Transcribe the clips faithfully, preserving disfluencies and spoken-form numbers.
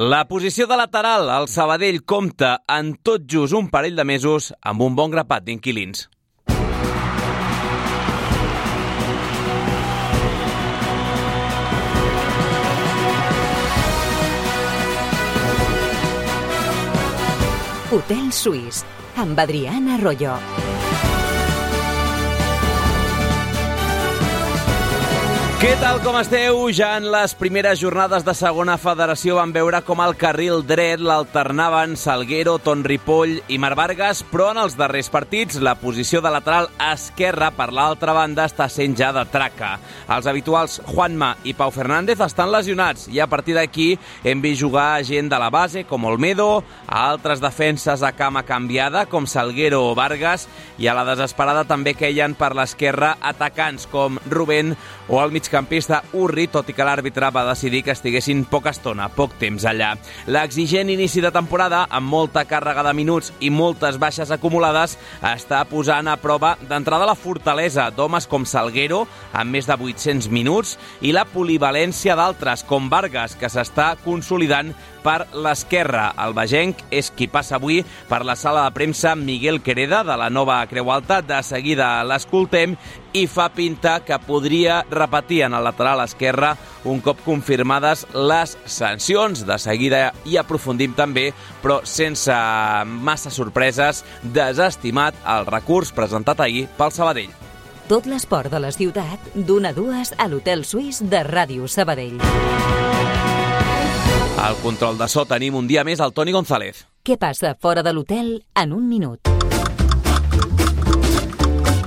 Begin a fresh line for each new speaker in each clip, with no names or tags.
La posició de lateral, el Sabadell compta en tot just un parell de mesos amb un bon grapat d'inquilins.
Hotel Suís, amb Adrián Arroyo.
Què tal, com esteu? Ja en les primeres jornades de segona federació vam veure com el carril dret l'alternaven Salguero, Ton Ripoll i Marc Vargas, però en els darrers partits la posició de lateral esquerra per l'altra banda està sent ja de traca. Els habituals Juanma i Pau Fernández estan lesionats i a partir d'aquí hem vist jugar gent de la base com Olmedo, a altres defenses a cama canviada com Salguero o Vargas, i a la desesperada també queien per l'esquerra atacants com Rubén o el migcampista Urri, tot i que l'àrbitre va decidir que estiguessin poca estona, poc temps allà. L'exigent inici de temporada, amb molta càrrega de minuts i moltes baixes acumulades, està posant a prova d'entrada la fortalesa d'homes com Salguero, amb més de vuit-cents minuts, i la polivalència d'altres, com Vargas, que s'està consolidant per l'esquerra. El bagenc és qui passa avui per la sala de premsa Miguel Quereda, de la nova Creu Alta. De seguida l'escoltem i fa pinta que podria repetir en el lateral esquerre un cop confirmades les sancions. De seguida hi aprofundim també, però sense massa sorpreses, desestimat el recurs presentat ahir pel Sabadell.
Tot l'esport de la ciutat, d'una a dues a l'Hotel Suís de Ràdio Sabadell.
Al control de so tenim un dia més el Toni González.
Què passa fora de l'hotel en un minut?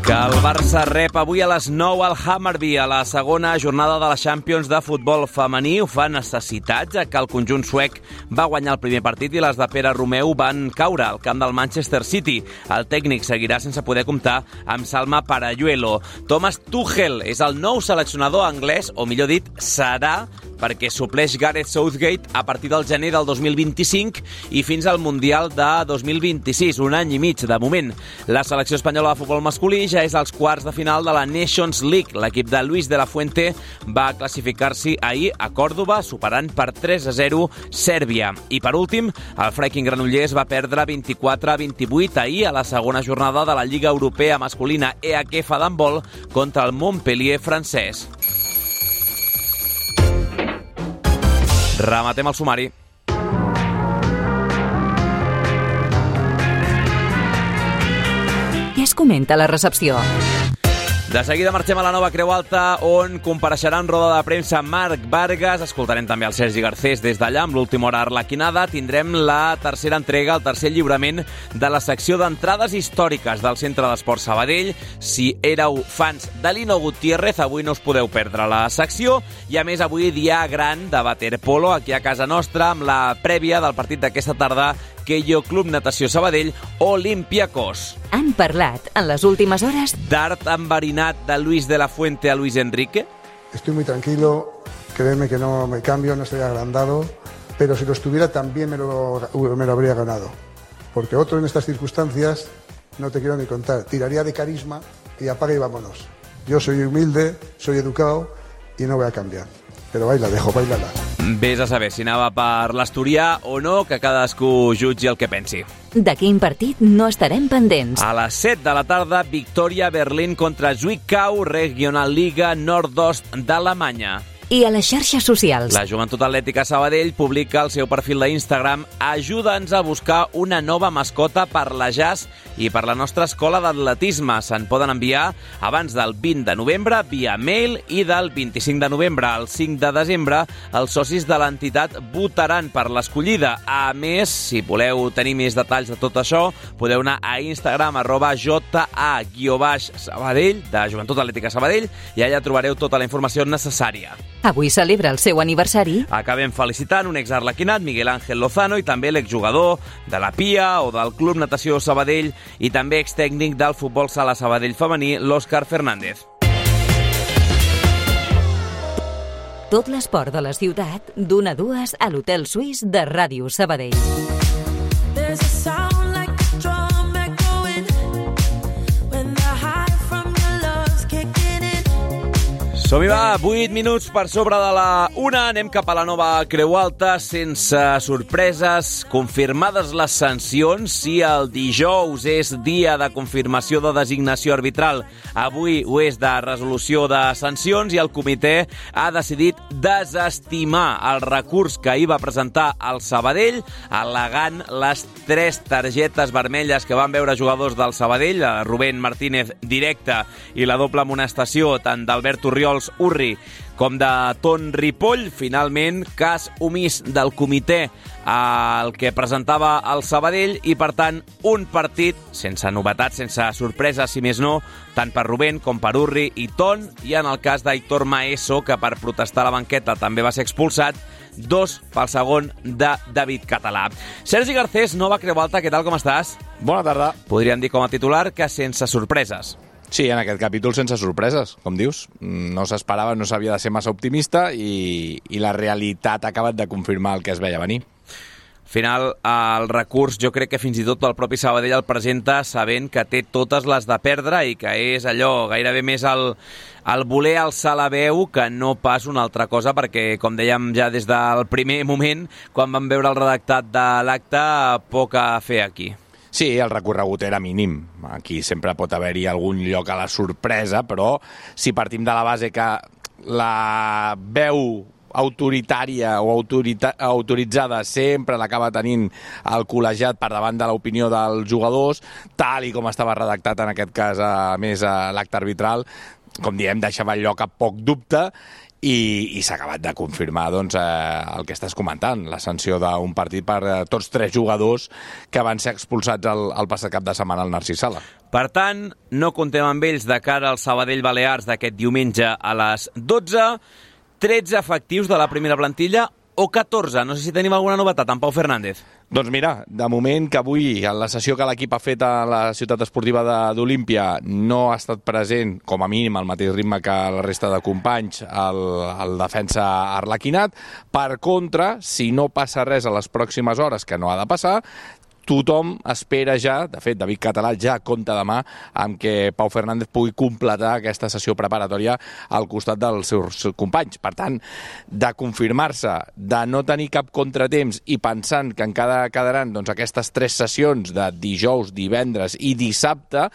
Que el Barça rep avui a les nou al Hammarby a la segona jornada de la Champions de futbol femení. Ho fa necessitat, ja que el conjunt suec va guanyar el primer partit i les de Pere Romeu van caure al camp del Manchester City. El tècnic seguirà sense poder comptar amb Salma Parayuelo. Thomas Tuchel és el nou seleccionador anglès, o millor dit, serà, perquè supleix Gareth Southgate a partir del gener del dos mil vint-i-cinc i fins al Mundial de dos mil vint-i-sis, un any i mig de moment. La selecció espanyola de futbol masculí ja és als quarts de final de la Nations League. L'equip de Luis de la Fuente va classificar-s'hi ahir a Còrdova, superant per tres a zero Sèrbia. I per últim, el Freiking Granollers va perdre vint-i-quatre a vint-i-vuit ahir a la segona jornada de la Lliga Europea masculina E H F d'handbol contra el Montpellier francès. Rematem el sumari.
Què es comenta a la recepció?
De seguida marxem a la nova Creu Alta, on compareixerà en roda de premsa Marc Vargas. Escoltarem també el Sergi Garcés des d'allà amb l'última hora arlequinada. Tindrem la tercera entrega, el tercer lliurament de la secció d'entrades històriques del Centre d'Esport Sabadell. Si éreu fans de Lino Gutiérrez, avui no us podeu perdre la secció. I a més, avui dia gran de waterpolo aquí a casa nostra, amb la prèvia del partit d'aquesta tarda Keio Club Natació Sabadell Olympiacos.
Han parlat en les últimes hores
d'art enverinat de Luis de la Fuente a Luis Enrique.
Estoy muy tranquilo, créeme que no me cambio, no estoy agrandado, pero si lo estuviera también me lo, me lo habría ganado. Porque otro en estas circunstancias, no te quiero ni contar, tiraría de carisma y apaga y vámonos. Yo soy humilde, soy educado y no voy a cambiar. Però baila, dejo, bailala.
Vés a saber si anava per l'Asturià o no, que cadascú jutgi el que pensi.
De quin partit no estarem pendents?
A les set de la tarda, Victòria Berlín contra Zwickau, Regionalliga Nordost d'Alemanya.
I a les xarxes socials.
La Joventut Atlètica Sabadell publica al seu perfil d'Instagram: ajuda'ns a buscar una nova mascota per la Jazz i per la nostra escola d'atletisme. Se'n poden enviar abans del vint de novembre via mail i del vint-i-cinc de novembre al cinc de desembre els socis de l'entitat votaran per l'escollida. A més, si voleu tenir més detalls de tot això, podeu anar a Instagram arroba ja-sabadell de Joventut Atlètica Sabadell i allà trobareu tota la informació necessària.
Avui celebra el seu aniversari.
Acabem felicitant un exarlequinat, Miguel Ángel Lozano, i també l'exjugador de la Pia o del Club Natació Sabadell i també extècnic del futbol sala Sabadell femení, l'Òscar Fernández.
Tot l'esport de la ciutat, d'una a dues a l'Hotel Suís de Ràdio Sabadell.
Som-hi, va, vuit minuts per sobre de la una. Anem cap a la nova Creu Alta, sense sorpreses, confirmades les sancions. Si el dijous és dia de confirmació de designació arbitral, avui ho és de resolució de sancions, i el comitè ha decidit desestimar el recurs que hi va presentar el Sabadell, al·legant les tres targetes vermelles que van veure jugadors del Sabadell, Rubén Martínez directe i la doble amonestació tant d'Albert Orriols Urri com de Ton Ripoll. Finalment, cas omís del comitè al que presentava el Sabadell, i per tant un partit sense novetats, sense sorpreses, si més no, tant per Rubén com per Urri i Ton, i en el cas d'Aitor Maeso, que per protestar a la banqueta també va ser expulsat, dos pel segon de David Català. Sergi Garcés, nova Creu Alta, què tal, com estàs?
Bona tarda.
Podríem dir com a titular que sense sorpreses.
Sí, en aquest capítol sense sorpreses, com dius. No s'esperava, no s'havia de ser massa optimista, i, i la realitat ha acabat de confirmar el que es veia venir.
Al final, el recurs, jo crec que fins i tot el propi Sabadell el presenta sabent que té totes les de perdre, i que és allò, gairebé més el, el voler alçar la veu que no pas una altra cosa, perquè, com dèiem ja des del primer moment, quan vam veure el redactat de l'acte, poc a fer aquí.
Sí, el recorregut era mínim. Aquí sempre pot haver-hi algun lloc a la sorpresa, però si partim de la base que la veu autoritària o autorita autoritzada sempre l'acaba tenint el col·legiat per davant de l'opinió dels jugadors, tal i com estava redactat en aquest cas, a més, a l'acte arbitral, com diem, deixava lloc a poc dubte, i, i s'ha acabat de confirmar doncs, eh, el que estàs comentant, la sanció d'un partit per eh, tots tres jugadors que van ser expulsats el, el passat cap de setmana al Narcís Sala.
Per tant, no comptem amb ells de cara al Sabadell Balears d'aquest diumenge a les dotze. tretze efectius de la primera plantilla o catorze? No sé si tenim alguna novetat en Pau Fernández.
Doncs mira, de moment que avui, en la sessió que l'equip ha fet a la ciutat esportiva d'Olímpia, no ha estat present, com a mínim, al mateix ritme que la resta de companys, el, el defensa arlequinat. Per contra, si no passa res a les pròximes hores, que no ha de passar, tothom espera ja, de fet, David Català ja compta demà amb que Pau Fernández pugui completar aquesta sessió preparatòria al costat dels seus companys. Per tant, de confirmar-se, de no tenir cap contratemps i pensant que encara quedaran doncs, aquestes tres sessions de dijous, divendres i dissabte,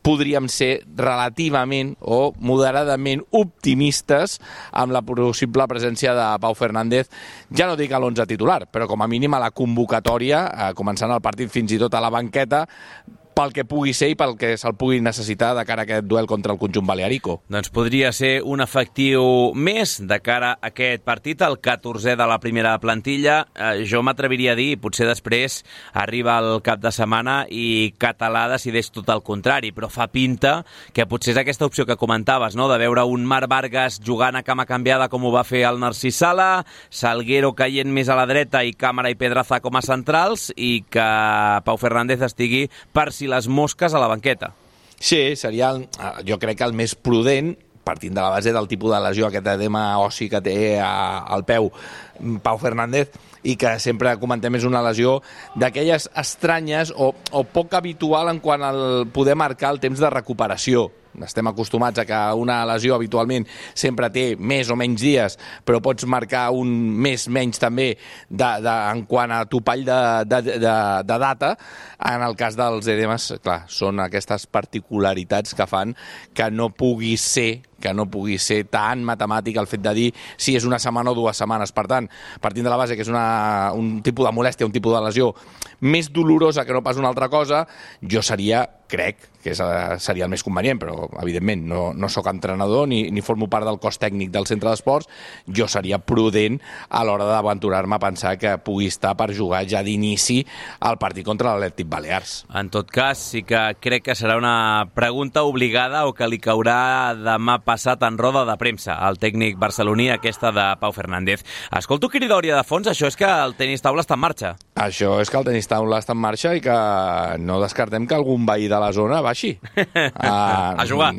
podríem ser relativament o moderadament optimistes amb la possible presència de Pau Fernández, ja no dic a l'onze titular, però com a mínim a la convocatòria, eh, començant el partit fins i tot a la banqueta, pel que pugui ser i pel que se'l pugui necessitar de cara a aquest duel contra el conjunt balearico.
Doncs podria ser un efectiu més de cara a aquest partit, el catorzè de la primera plantilla. Eh, jo m'atreviria a dir, potser després arriba el cap de setmana i Català decideix tot el contrari, però fa pinta que potser és aquesta opció que comentaves, no?, de veure un Marc Vargas jugant a cama canviada com ho va fer el Narcís Sala, Salguero caient més a la dreta i Càmara i Pedraza com a centrals, i que Pau Fernández estigui per si les mosques a la banqueta.
Sí, seria, el, jo crec que el més prudent, partint de la base del tipus de lesió, aquest edema ossi que té a, al peu Pau Fernández, i que sempre comentem és una lesió d'aquelles estranyes o, o poc habitual en quant al poder marcar el temps de recuperació. Estem acostumats a que una lesió habitualment sempre té més o menys dies, però pots marcar un més menys també de, de, en quant a topall de, de, de, de data. En el cas dels edemes, clar, són aquestes particularitats que fan que no pugui ser que no pugui ser tan matemàtic el fet de dir si és una setmana o dues setmanes. Per tant, partint de la base que és una, un tipus de molèstia, un tipus de lesió més dolorosa que no pas una altra cosa, jo seria, crec, que és, seria el més convenient, però evidentment no, no sóc entrenador ni, ni formo part del cos tècnic del centre d'esports, jo seria prudent a l'hora d'aventurar-me a pensar que pugui estar per jugar ja d'inici al partit contra l'Atlètic Balears.
En tot cas, sí que crec que serà una pregunta obligada o que li caurà demà passat en roda de premsa al tècnic barceloní, aquesta de Pau Fernández. Escolto cridòria de fons, això és que el tenis taula està en marxa.
Això és que el tenis taula està en marxa i que no descartem que algun veí de la zona baixi.
A, a jugar.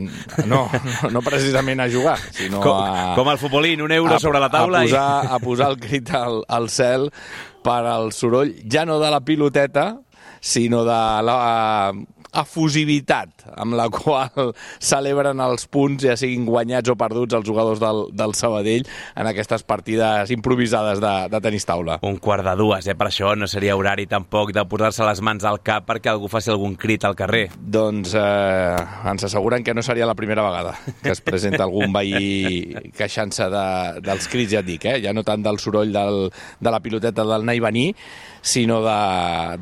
No, no precisament a jugar, sinó
com,
a...
Com el futbolín, un euro a, sobre la taula.
A posar, i... a posar el crit al, al cel per al soroll, ja no de la piloteta, sinó de la efusivitat amb la qual celebren els punts, ja siguin guanyats o perduts, els jugadors del, del Sabadell en aquestes partides improvisades de, de tenis taula.
Un quart de dues, eh? Per això no seria horari tampoc de posar-se les mans al cap perquè algú faci algun crit al carrer.
Doncs eh, ens asseguren que no seria la primera vegada que es presenta algun veí queixant-se de, dels crits, ja et dic, eh? Ja no tant del soroll del, de la piloteta del anar i venir, sinó de,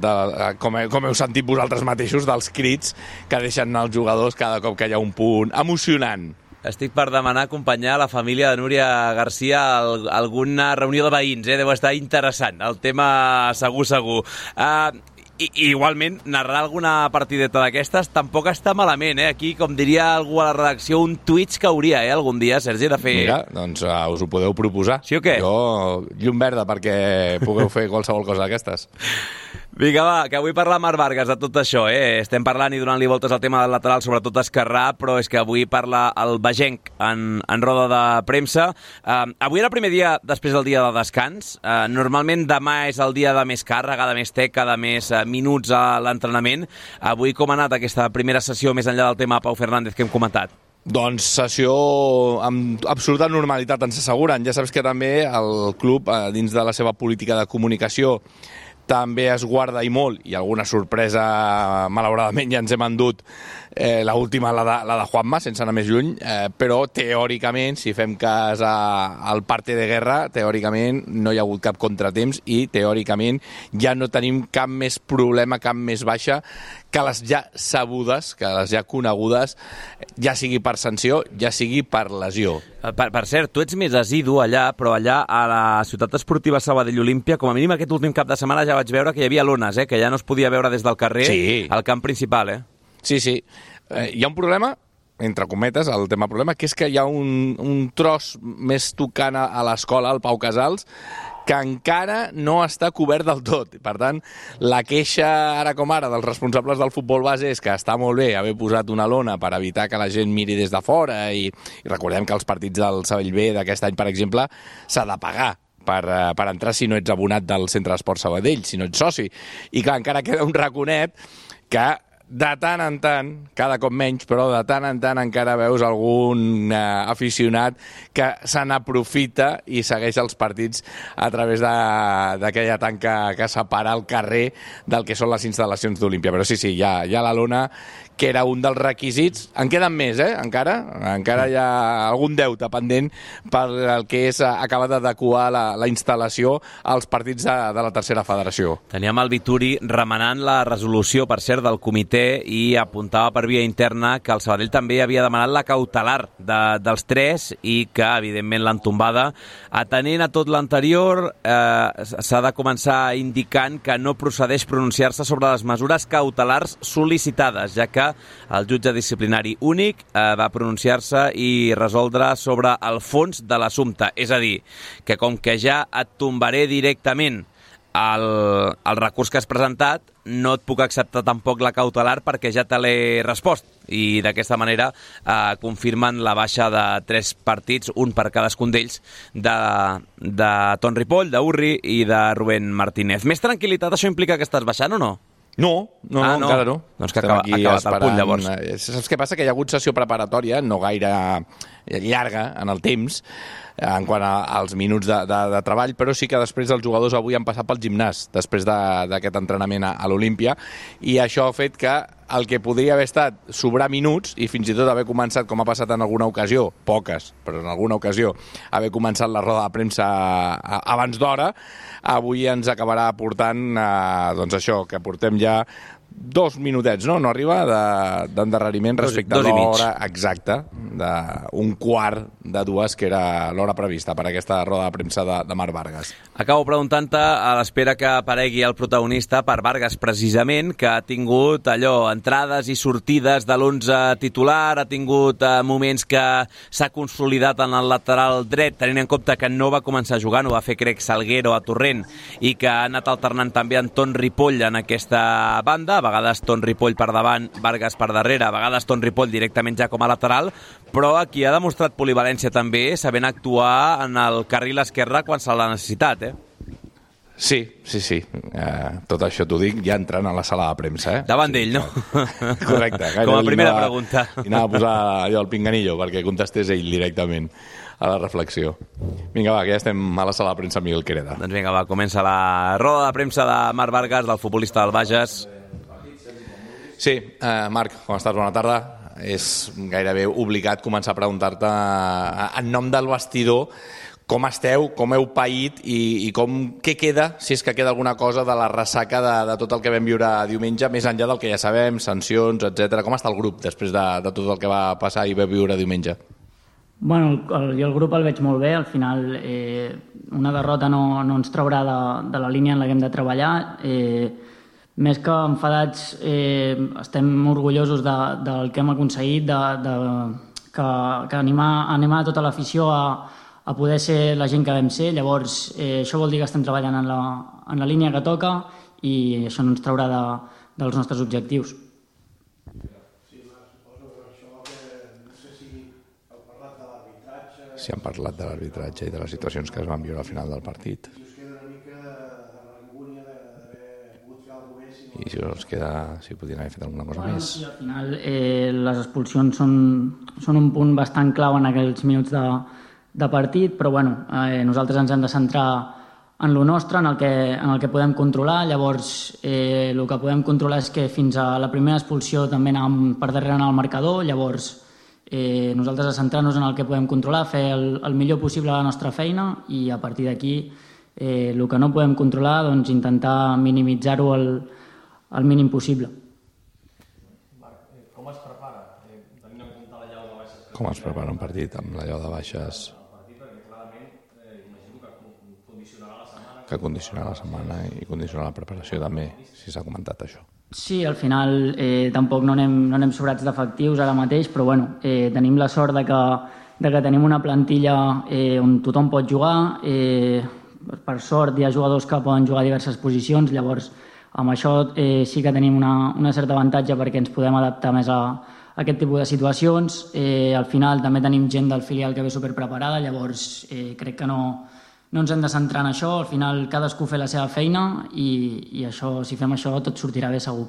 de com, he, com heu sentit vosaltres mateixos, dels crits que deixen anar els jugadors cada cop que hi ha un punt emocionant.
Estic per demanar acompanyar la família de Núria Garcia a alguna reunió de veïns, eh? Deu estar interessant, el tema segur, segur. Uh, I, igualment, narrar alguna partideta d'aquestes tampoc està malament, eh? Aquí, com diria algú a la redacció, un Twitch que hauria, eh, algun dia, Sergi, de fer...
Mira, doncs uh, us ho podeu proposar.
Sí o què?
Jo, llum verda perquè pugueu fer qualsevol cosa d'aquestes.
Vinga, va, que avui parla Marc Vargas de tot això, eh? Estem parlant i donant-li voltes al tema del lateral, sobretot esquerrà, però és que avui parla el Bagenc en, en roda de premsa. Uh, avui era el primer dia després del dia de descans. Uh, normalment demà és el dia de més càrrega, de més teca, de més uh, minuts a l'entrenament. Avui com ha anat aquesta primera sessió més enllà del tema Pau Fernández que hem comentat?
Doncs sessió amb absoluta normalitat, ens asseguren. Ja saps que també el club, eh, dins de la seva política de comunicació, també es guarda i molt, i alguna sorpresa, malauradament, ja ens hem endut, eh, l'última, la, de, la de Juanma, sense anar més lluny, eh, però teòricament, si fem cas a, al parte de guerra, teòricament no hi ha hagut cap contratemps i teòricament ja no tenim cap més problema, cap més baixa que les ja sabudes, que les ja conegudes, ja sigui per sanció, ja sigui per lesió.
Per, per cert, tu ets més assidu allà, però allà a la ciutat esportiva Sabadell Olímpia, com a mínim aquest últim cap de setmana ja vaig veure que hi havia lones, eh? Que ja no es podia veure des del carrer
sí.
al camp principal. Eh?
Sí, sí. Eh, hi ha un problema, entre cometes, el tema problema, que és que hi ha un, un tros més tocant a l'escola, al Pau Casals, que encara no està cobert del tot. Per tant, la queixa ara com ara dels responsables del futbol base és que està molt bé haver posat una lona per evitar que la gent miri des de fora i, i recordem que els partits del Sabadell B d'aquest any, per exemple, s'ha de pagar per, per entrar si no ets abonat del Centre d'Esport Sabadell, si no ets soci. I clar, encara queda un raconet que de tant en tant, cada cop menys, però de tant en tant encara veus algun eh, aficionat que se n'aprofita i segueix els partits a través d'aquella tanca que separa el carrer del que són les instal·lacions d'Olímpia. Però sí, sí, hi ha, hi ha la lona, que era un dels requisits. En queden més, eh, encara. Encara hi ha algun deute pendent per el que és acabar d'adequar la, la instal·lació als partits de, de la tercera federació.
Teníem el Vituri remenant la resolució, per cert, del comitè i apuntava per via interna que el Sabadell també havia demanat la cautelar de, dels tres i que, evidentment, l'han tombada. Atenent a tot l'anterior, eh, s'ha de començar indicant que no procedeix pronunciar-se sobre les mesures cautelars sol·licitades, ja que el jutge disciplinari únic eh, va pronunciar-se i resoldre sobre el fons de l'assumpte. És a dir, que com que ja et tombaré directament el, el recurs que has presentat, no et puc acceptar tampoc la cautelar perquè ja te l'he respost. I d'aquesta manera eh, confirmen la baixa de tres partits, un per cadascun d'ells, de, de Ton Ripoll, d'Urri i de Rubén Martínez. Més tranquil·litat, això implica que estàs baixant o no?
No, no,
ah,
no, encara no.
Doncs que acaba, acabat esperant. El punt, llavors.
Saps què passa? Que hi ha hagut sessió preparatòria, no gaire llarga en el temps, en quant a, als minuts de, de, de treball, però sí que després els jugadors avui han passat pel gimnàs, després d'aquest de, entrenament a, a l'Olímpia, i això ha fet que el que podria haver estat sobrar minuts i fins i tot haver començat, com ha passat en alguna ocasió, poques, però en alguna ocasió, haver començat la roda de premsa abans d'hora, avui ens acabarà portant, eh, doncs això, que portem ja dos minutets, no? No arriba d'endarreriment respecte dos, dos a l'hora exacta d'un quart de dues, que era l'hora prevista per aquesta roda de premsa de, de Marc Vargas.
Acabo preguntant-te, a l'espera que aparegui el protagonista, per Vargas precisament, que ha tingut allò, entrades i sortides de l'onze titular, ha tingut eh, moments que s'ha consolidat en el lateral dret, tenint en compte que no va començar jugant, ho va fer, crec, Salguero a Torrent, i que ha anat alternant també en Ton Ripoll en aquesta banda, a vegades Ton Ripoll per davant, Vargas per darrere, a vegades Ton Ripoll directament ja com a lateral, però aquí ha demostrat polivalència també, sabent actuar en el carril esquerre quan se l'ha necessitat, eh?
Sí, sí, sí. Uh, tot això t'ho dic ja entrant a la sala de premsa. Eh?
Davant d'ell, no?
Correcte.
Com a primera anava, pregunta.
I anava a posar allò al pinganillo perquè contestés ell directament a la reflexió. Vinga, va, que ja estem a la sala de premsa amb Miguel Quereda.
Doncs vinga, va, comença la roda de premsa de Marc Vargas, del futbolista del Bages.
Sí, uh, Marc, com estàs? Bona tarda. És gairebé obligat començar a preguntar-te en nom del vestidor com esteu, com heu paït i, i com, què queda, si és que queda alguna cosa de la ressaca de, de tot el que vam viure diumenge, més enllà del que ja sabem, sancions, etcètera. Com està el grup després de, de tot el que va passar i va viure diumenge?
Bueno, el, jo el grup el veig molt bé. Al final eh, una derrota no, no ens traurà de, de la línia en la que hem de treballar. Eh, més que enfadats, eh, estem orgullosos de, del que hem aconseguit, de, de, que, que animar, animar tota l'afició a a poder ser la gent que vam ser. Llavors, eh, això vol dir que estem treballant en la, en la línia que toca i això no ens traurà de, dels nostres objectius.
Sí, Marc, suposo que això que no sé si heu parlat de l'arbitratge...
Si han parlat de l'arbitratge i de les situacions que es van viure al final del partit.
I us queda una mica de rancúnia d'haver pogut fer alguna cosa més...
I si us queda, si podien haver fet alguna cosa
bueno,
més.
Sí, al final eh, les expulsions són, són un punt bastant clau en aquells minuts de de partit, però bueno, eh, nosaltres ens hem de centrar en lo nostre, en el que, en el que podem controlar. Llavors, eh, el que podem controlar és que fins a la primera expulsió també anàvem per darrere en el marcador. Llavors, eh, nosaltres a centrar-nos en el que podem controlar, fer el, el millor possible la nostra feina i a partir d'aquí eh, el que no podem controlar, doncs intentar minimitzar-ho el, el mínim possible.
Com es prepara? Eh, tenint en compte la llau de baixes...
Com es prepara un partit amb la llau de baixes? Que condicionarà la setmana i condicionarà la preparació també, si s'ha comentat això.
Sí, al final eh, tampoc no anem, no anem sobrats d'efectius ara mateix, però bueno, eh, tenim la sort de que, de que tenim una plantilla eh, on tothom pot jugar. Eh, per sort hi ha jugadors que poden jugar a diverses posicions, llavors amb això eh, sí que tenim una, una certa avantatge perquè ens podem adaptar més a, a aquest tipus de situacions. Eh, al final també tenim gent del filial que ve superpreparada, llavors eh, crec que no... No ens hem de centrar en això, al final cadascú fer la seva feina i, i això, si fem això tot sortirà bé segur.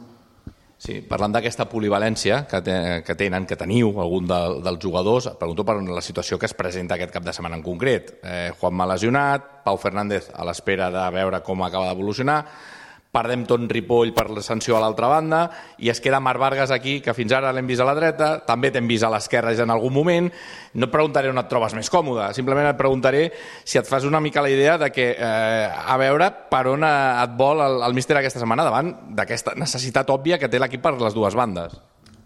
Sí, parlant d'aquesta polivalència que, te, que tenen, que teniu algun de, dels jugadors, pregunto per la situació que es presenta aquest cap de setmana en concret. Eh, Juanma lesionat, Pau Fernández a l'espera de veure com acaba d'evolucionar, perdem Ton Ripoll per la sanció a l'altra banda i es queda Marc Vargas aquí, que fins ara l'hem vist a la dreta, també t'hem vist a l'esquerra en algun moment. No et preguntaré on et trobes més còmode, simplement et preguntaré si et fas una mica la idea de que, eh, a veure per on et vol el, el míster aquesta setmana davant d'aquesta necessitat òbvia que té l'equip per les dues bandes.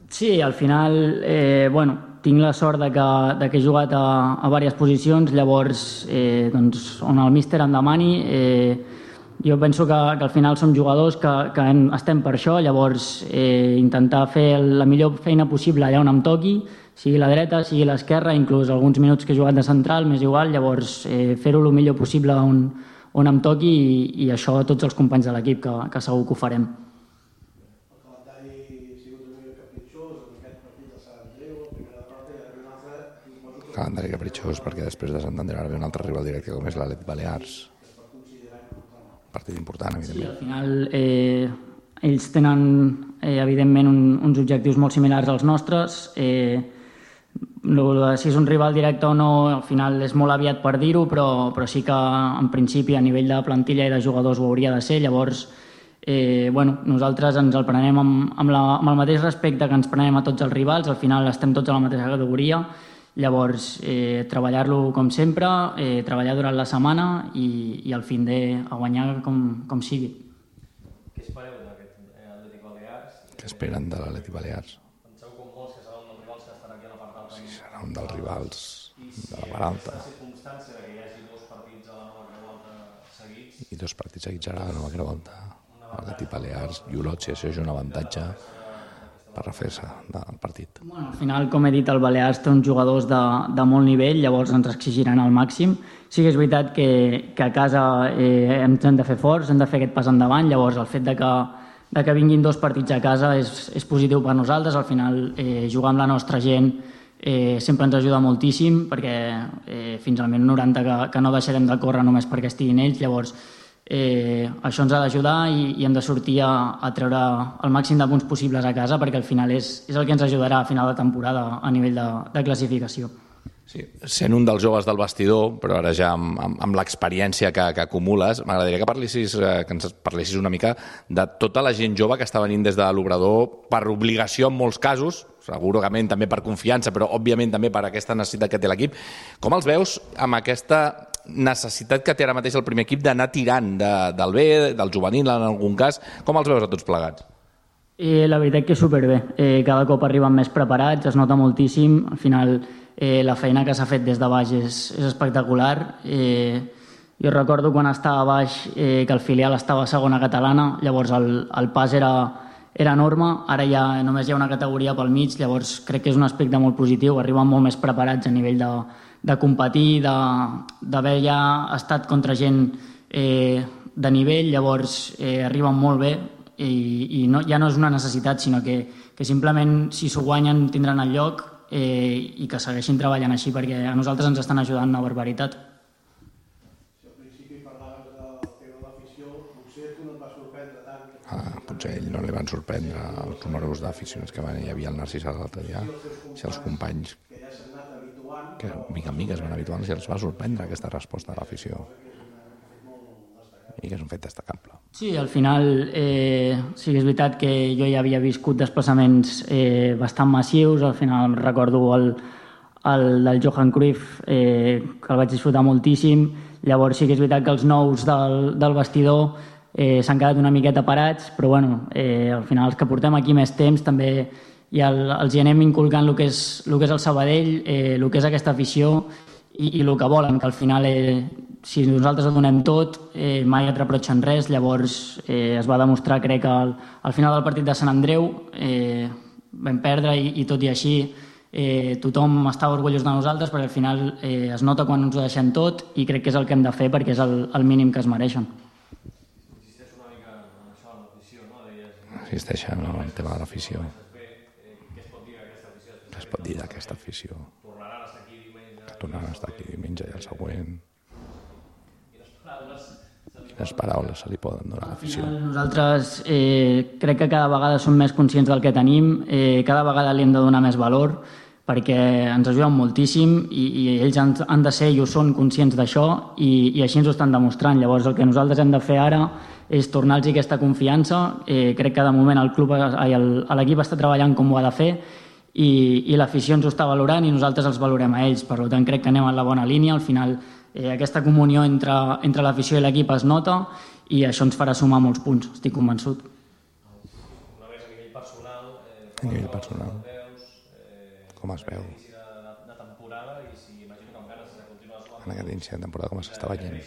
Sí, al final, eh, bueno, tinc la sort de que, de que he jugat a, a diverses posicions, llavors, eh, doncs, on el míster em demani... Eh, Jo penso que, que al final som jugadors que, que hem, estem per això, llavors eh, intentar fer la millor feina possible allà on em toqui, sigui la dreta, sigui l'esquerra, inclús alguns minuts que he jugat de central, m'és igual, llavors eh, fer-ho el millor possible on, on em toqui i, i això a tots els companys de l'equip, que, que segur que ho farem.
El calendari ha sigut una mica capritxós, en aquest partit de Sant Andreu, la primera derrota i una altra...
Calendari capritxós perquè després de Sant Andreu ara ve un altre rival directe com és l'Atlètic Balears. Partit important, evidentment.
Sí, al final eh, ells tenen eh, evidentment un, uns objectius molt similars als nostres. Eh, lo, si és un rival directe o no, al final és molt aviat per dir-ho, però, però sí que en principi a nivell de plantilla i de jugadors ho hauria de ser. Llavors, eh, bueno, nosaltres ens el prenem amb, amb, la, amb el mateix respecte que ens prenem a tots els rivals. Al final estem tots a la mateixa categoria. Llavors, eh, treballar-lo com sempre, eh, treballar durant la setmana i, i al fin de a guanyar com, com sigui.
Què espereu d'aquest Atlètic Balears?
Què esperen de l'Atlètic Balears?
Penseu com molts que serà un dels rivals que estarà aquí a la part alta?
Sí, serà un dels rivals de la part alta.
I si la circumstància que hi hagi dos partits a la nova Creu Alta seguits...
I dos partits seguits a la nova Creu Alta. L'Atlètic Balears i Olot, si això és un avantatge per refer-se del partit.
Bueno, al final, com he dit, el Balears té uns jugadors de, de molt nivell, llavors ens exigiran al màxim. Sí que és veritat que, que a casa eh, ens hem de fer forts, hem de fer aquest pas endavant, llavors el fet de que, de que vinguin dos partits a casa és, és positiu per nosaltres. Al final, eh, jugar amb la nostra gent eh, sempre ens ajuda moltíssim, perquè eh, fins al minut noranta que, que no deixarem de córrer només perquè estiguin ells, llavors eh, això ens ha d'ajudar i, i hem de sortir a, a treure el màxim de punts possibles a casa, perquè al final és, és el que ens ajudarà a final de temporada a nivell de, de classificació.
Sí, sent un dels joves del vestidor, però ara ja amb, amb, amb l'experiència que, que acumules, m'agradaria que parlessis, eh, que ens parlessis una mica de tota la gent jove que està venint des de l'Obrador per obligació en molts casos, segurament també per confiança, però òbviament també per aquesta necessitat que té l'equip. Com els veus amb aquesta necessitat que té ara mateix el primer equip d'anar tirant de, del B, del juvenil en algun cas? Com els veus a tots plegats?
Eh, la veritat que superbé. Eh, cada cop arriben més preparats, es nota moltíssim. Al final eh, la feina que s'ha fet des de baix és, és espectacular. Eh, jo recordo quan estava a baix eh, que el filial estava a segona catalana, llavors el, el pas era, era enorme, ara ja només hi ha una categoria pel mig, llavors crec que és un aspecte molt positiu, arriben molt més preparats a nivell de, de competir, d'haver ja estat contra gent eh, de nivell, llavors eh, arriben molt bé i, i no, ja no és una necessitat, sinó que, que simplement si s'ho guanyen tindran el lloc eh, i que segueixin treballant així, perquè a nosaltres ens estan ajudant una barbaritat.
Si al principi parlaves del tema de l'afició, potser tu no et va sorprendre tant.
Ah, potser ell no li van sorprendre els números d'aficionats que hi havia al Narcís a l'altre dia, si els companys que mica en mica es van habituant, si els va sorprendre aquesta resposta de l'afició i que és un fet destacable.
Sí, al final eh, sí que és veritat que jo ja havia viscut desplaçaments eh, bastant massius, al final recordo el, el del Johan Cruyff, eh, que el vaig disfrutar moltíssim, llavors sí que és veritat que els nous del, del vestidor eh, s'han quedat una miqueta parats, però bueno, eh, al final els que portem aquí més temps també ja el, els hi anem inculcant el que és, el que és el Sabadell, eh, el que és aquesta afició i, i el que volen, que al final eh, si nosaltres ho donem tot, eh, mai et reprotxen res, llavors eh, es va demostrar, crec, que al, al final del partit de Sant Andreu eh, vam perdre i, i tot i així eh, tothom estava orgullós de nosaltres, perquè al final eh, es nota quan ens ho deixem tot i crec que és el que hem de fer perquè és el, el mínim que es mereixen.
Insisteix una mica en això, en l'afició, no? Deies...
Insisteixen en el tema de l'afició.
Què es pot dir d'aquesta afició?
Què es pot dir d'aquesta afició?
Tornaran a estar aquí diumenge...
Tornaran a estar aquí diumenge i el següent... Quines paraules se li poden donar a l'afició?
Nosaltres eh, crec que cada vegada som més conscients del que tenim, eh, cada vegada li hem de donar més valor perquè ens ajuden moltíssim i, i ells han, han de ser i ho són conscients d'això i, i així ens ho estan demostrant. Llavors el que nosaltres hem de fer ara és tornar-los aquesta confiança. Eh, crec que de moment el club, l'equip està treballant com ho ha de fer i, i l'afició ens ho està valorant i nosaltres els valorem a ells. Per tant, crec que anem en la bona línia. Al final eh, aquesta comunió entre, entre l'afició i l'equip es nota i això ens farà sumar molts punts, estic convençut.
Una vez a nivell personal... Eh,
A nivell personal.
Veus, eh,
Com es veu?
inici de, de temporada i si imagino que amb ganes de continuar sumant...
En aquest inici de temporada com s'està veient?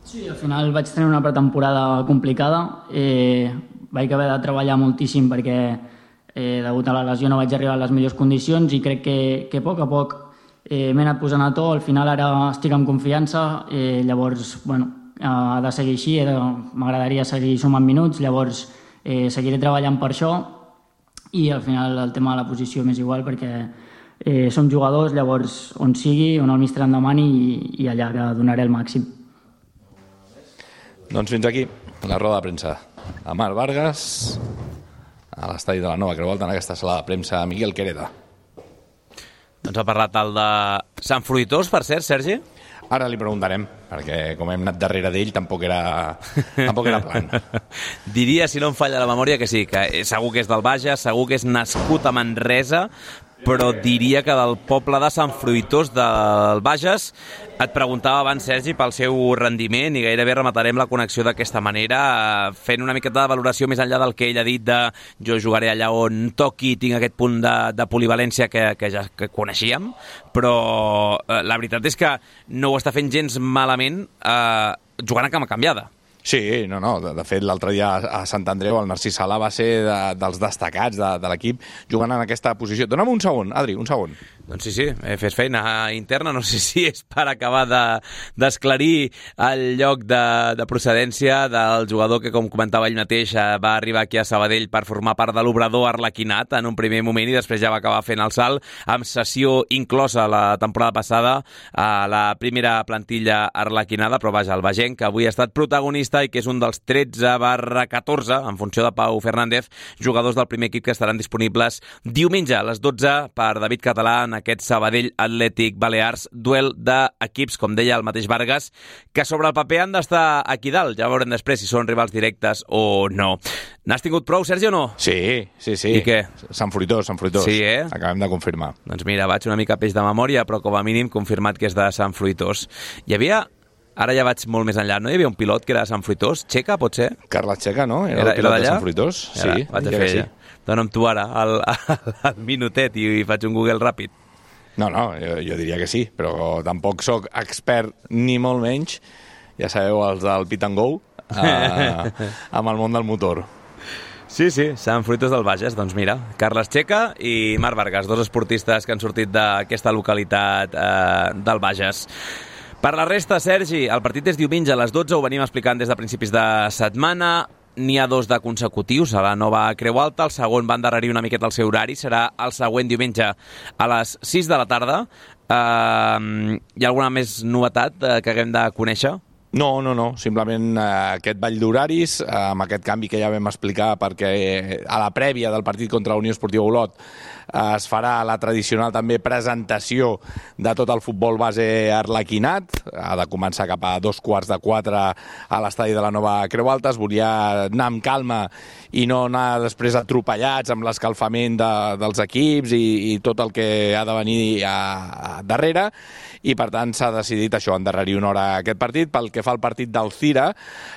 Sí, al final vaig tenir una pretemporada complicada. Eh, vaig haver de treballar moltíssim perquè eh, degut a la lesió no vaig arribar a les millors condicions i crec que, que a poc a poc eh, m'he anat posant a to. Al final ara estic amb confiança, eh, llavors bueno, ha de seguir així, m'agradaria seguir sumant minuts, llavors eh, seguiré treballant per això i al final el tema de la posició m'és igual perquè eh, som jugadors, llavors on sigui, on el míster em demani i, i allà que donaré el màxim.
Doncs fins aquí la roda de premsa a Marc Vargas a l'estadi de la Nova Creu Alta en aquesta sala de premsa Miguel Quereda.
Doncs ha parlat el de Sant Fruitós, per cert, Sergi?
Ara li preguntarem, perquè com hem anat darrere d'ell tampoc era, tampoc era plan.
Diria, si no em falla la memòria, que sí, que segur que és del Bages, segur que és nascut a Manresa, però diria que del poble de Sant Fruitós del Bages. Et preguntava abans, Sergi, pel seu rendiment i gairebé rematarem la connexió d'aquesta manera, fent una miqueta de valoració més enllà del que ell ha dit de jo jugaré allà on toqui, tinc aquest punt de, de polivalència que, que ja que coneixíem, però eh, la veritat és que no ho està fent gens malament eh, jugant a cama canviada.
Sí, no, no, de, de fet l'altre dia a Sant Andreu el Narcís Sala va ser de, dels destacats de, de l'equip jugant en aquesta posició. Dóna'm un segon, Adri, un segon.
Doncs sí, sí, fes feina interna, no sé si és per acabar de, d'esclarir el lloc de, de procedència del jugador que, com comentava ell mateix, va arribar aquí a Sabadell per formar part de l'obrador arlequinat en un primer moment i després ja va acabar fent el salt amb sessió inclosa la temporada passada a la primera plantilla arlequinada, però vaja, el Bagenc, que avui ha estat protagonista i que és un dels tretze barra catorze, en funció de Pau Fernández, jugadors del primer equip que estaran disponibles diumenge a les dotze per David Català en aquest Sabadell Atlètic Balears, duel d'equips, com deia el mateix Vargas, que sobre el paper han d'estar aquí dalt. Ja veurem després si són rivals directes o no. N'has tingut prou, Sergi, o no?
Sí, sí, sí.
I què?
Sant Fruitós, Sant Fruitós.
Sí, eh?
Acabem de confirmar.
Doncs mira, vaig una mica peix de memòria, però com a mínim confirmat que és de Sant Fruitós. Hi havia... Ara ja vaig molt més enllà, no? Hi havia un pilot que era de Sant Fruitós? Txeca, pot ser?
Carles Txeca, no? Era,
Era-
el pilot
era
de
d'allà?
Sant Fruitós.
Ara,
Sí,
vaig a
diria
fer
que
ja. Dóna'm tu ara el, el minutet i, i faig un Google ràpid.
No, no, jo, jo diria que sí, però tampoc sóc expert ni molt menys, ja sabeu, els del Pit and Go, eh, amb el món del motor.
Sí, sí, Sant Fruitós del Bages. Doncs mira, Carles Txeca i Marc Vargas, dos esportistes que han sortit d'aquesta localitat eh, del Bages. Per la resta, Sergi, el partit és diumenge a les dotze, ho venim explicant des de principis de setmana. N'hi ha dos de consecutius a la nova Creu Alta, el segon va endarrerir una miqueta el seu horari, serà el següent diumenge a les sis de la tarda. Uh, hi ha alguna més novetat uh, que haguem de conèixer?
No, no, no, simplement eh, aquest ball d'horaris, eh, amb aquest canvi que ja vam explicar, perquè eh, a la prèvia del partit contra la Unió Esportiva Olot eh, es farà la tradicional també presentació de tot el futbol base arlequinat, ha de començar cap a dos quarts de quatre a l'estadi de la nova Creu Alta, es volia anar amb calma i no anar després atropellats amb l'escalfament de, dels equips i, i tot el que ha de venir a, a darrere, i per tant s'ha decidit això, endarrerir una hora aquest partit. Pel que fa al partit del Cira,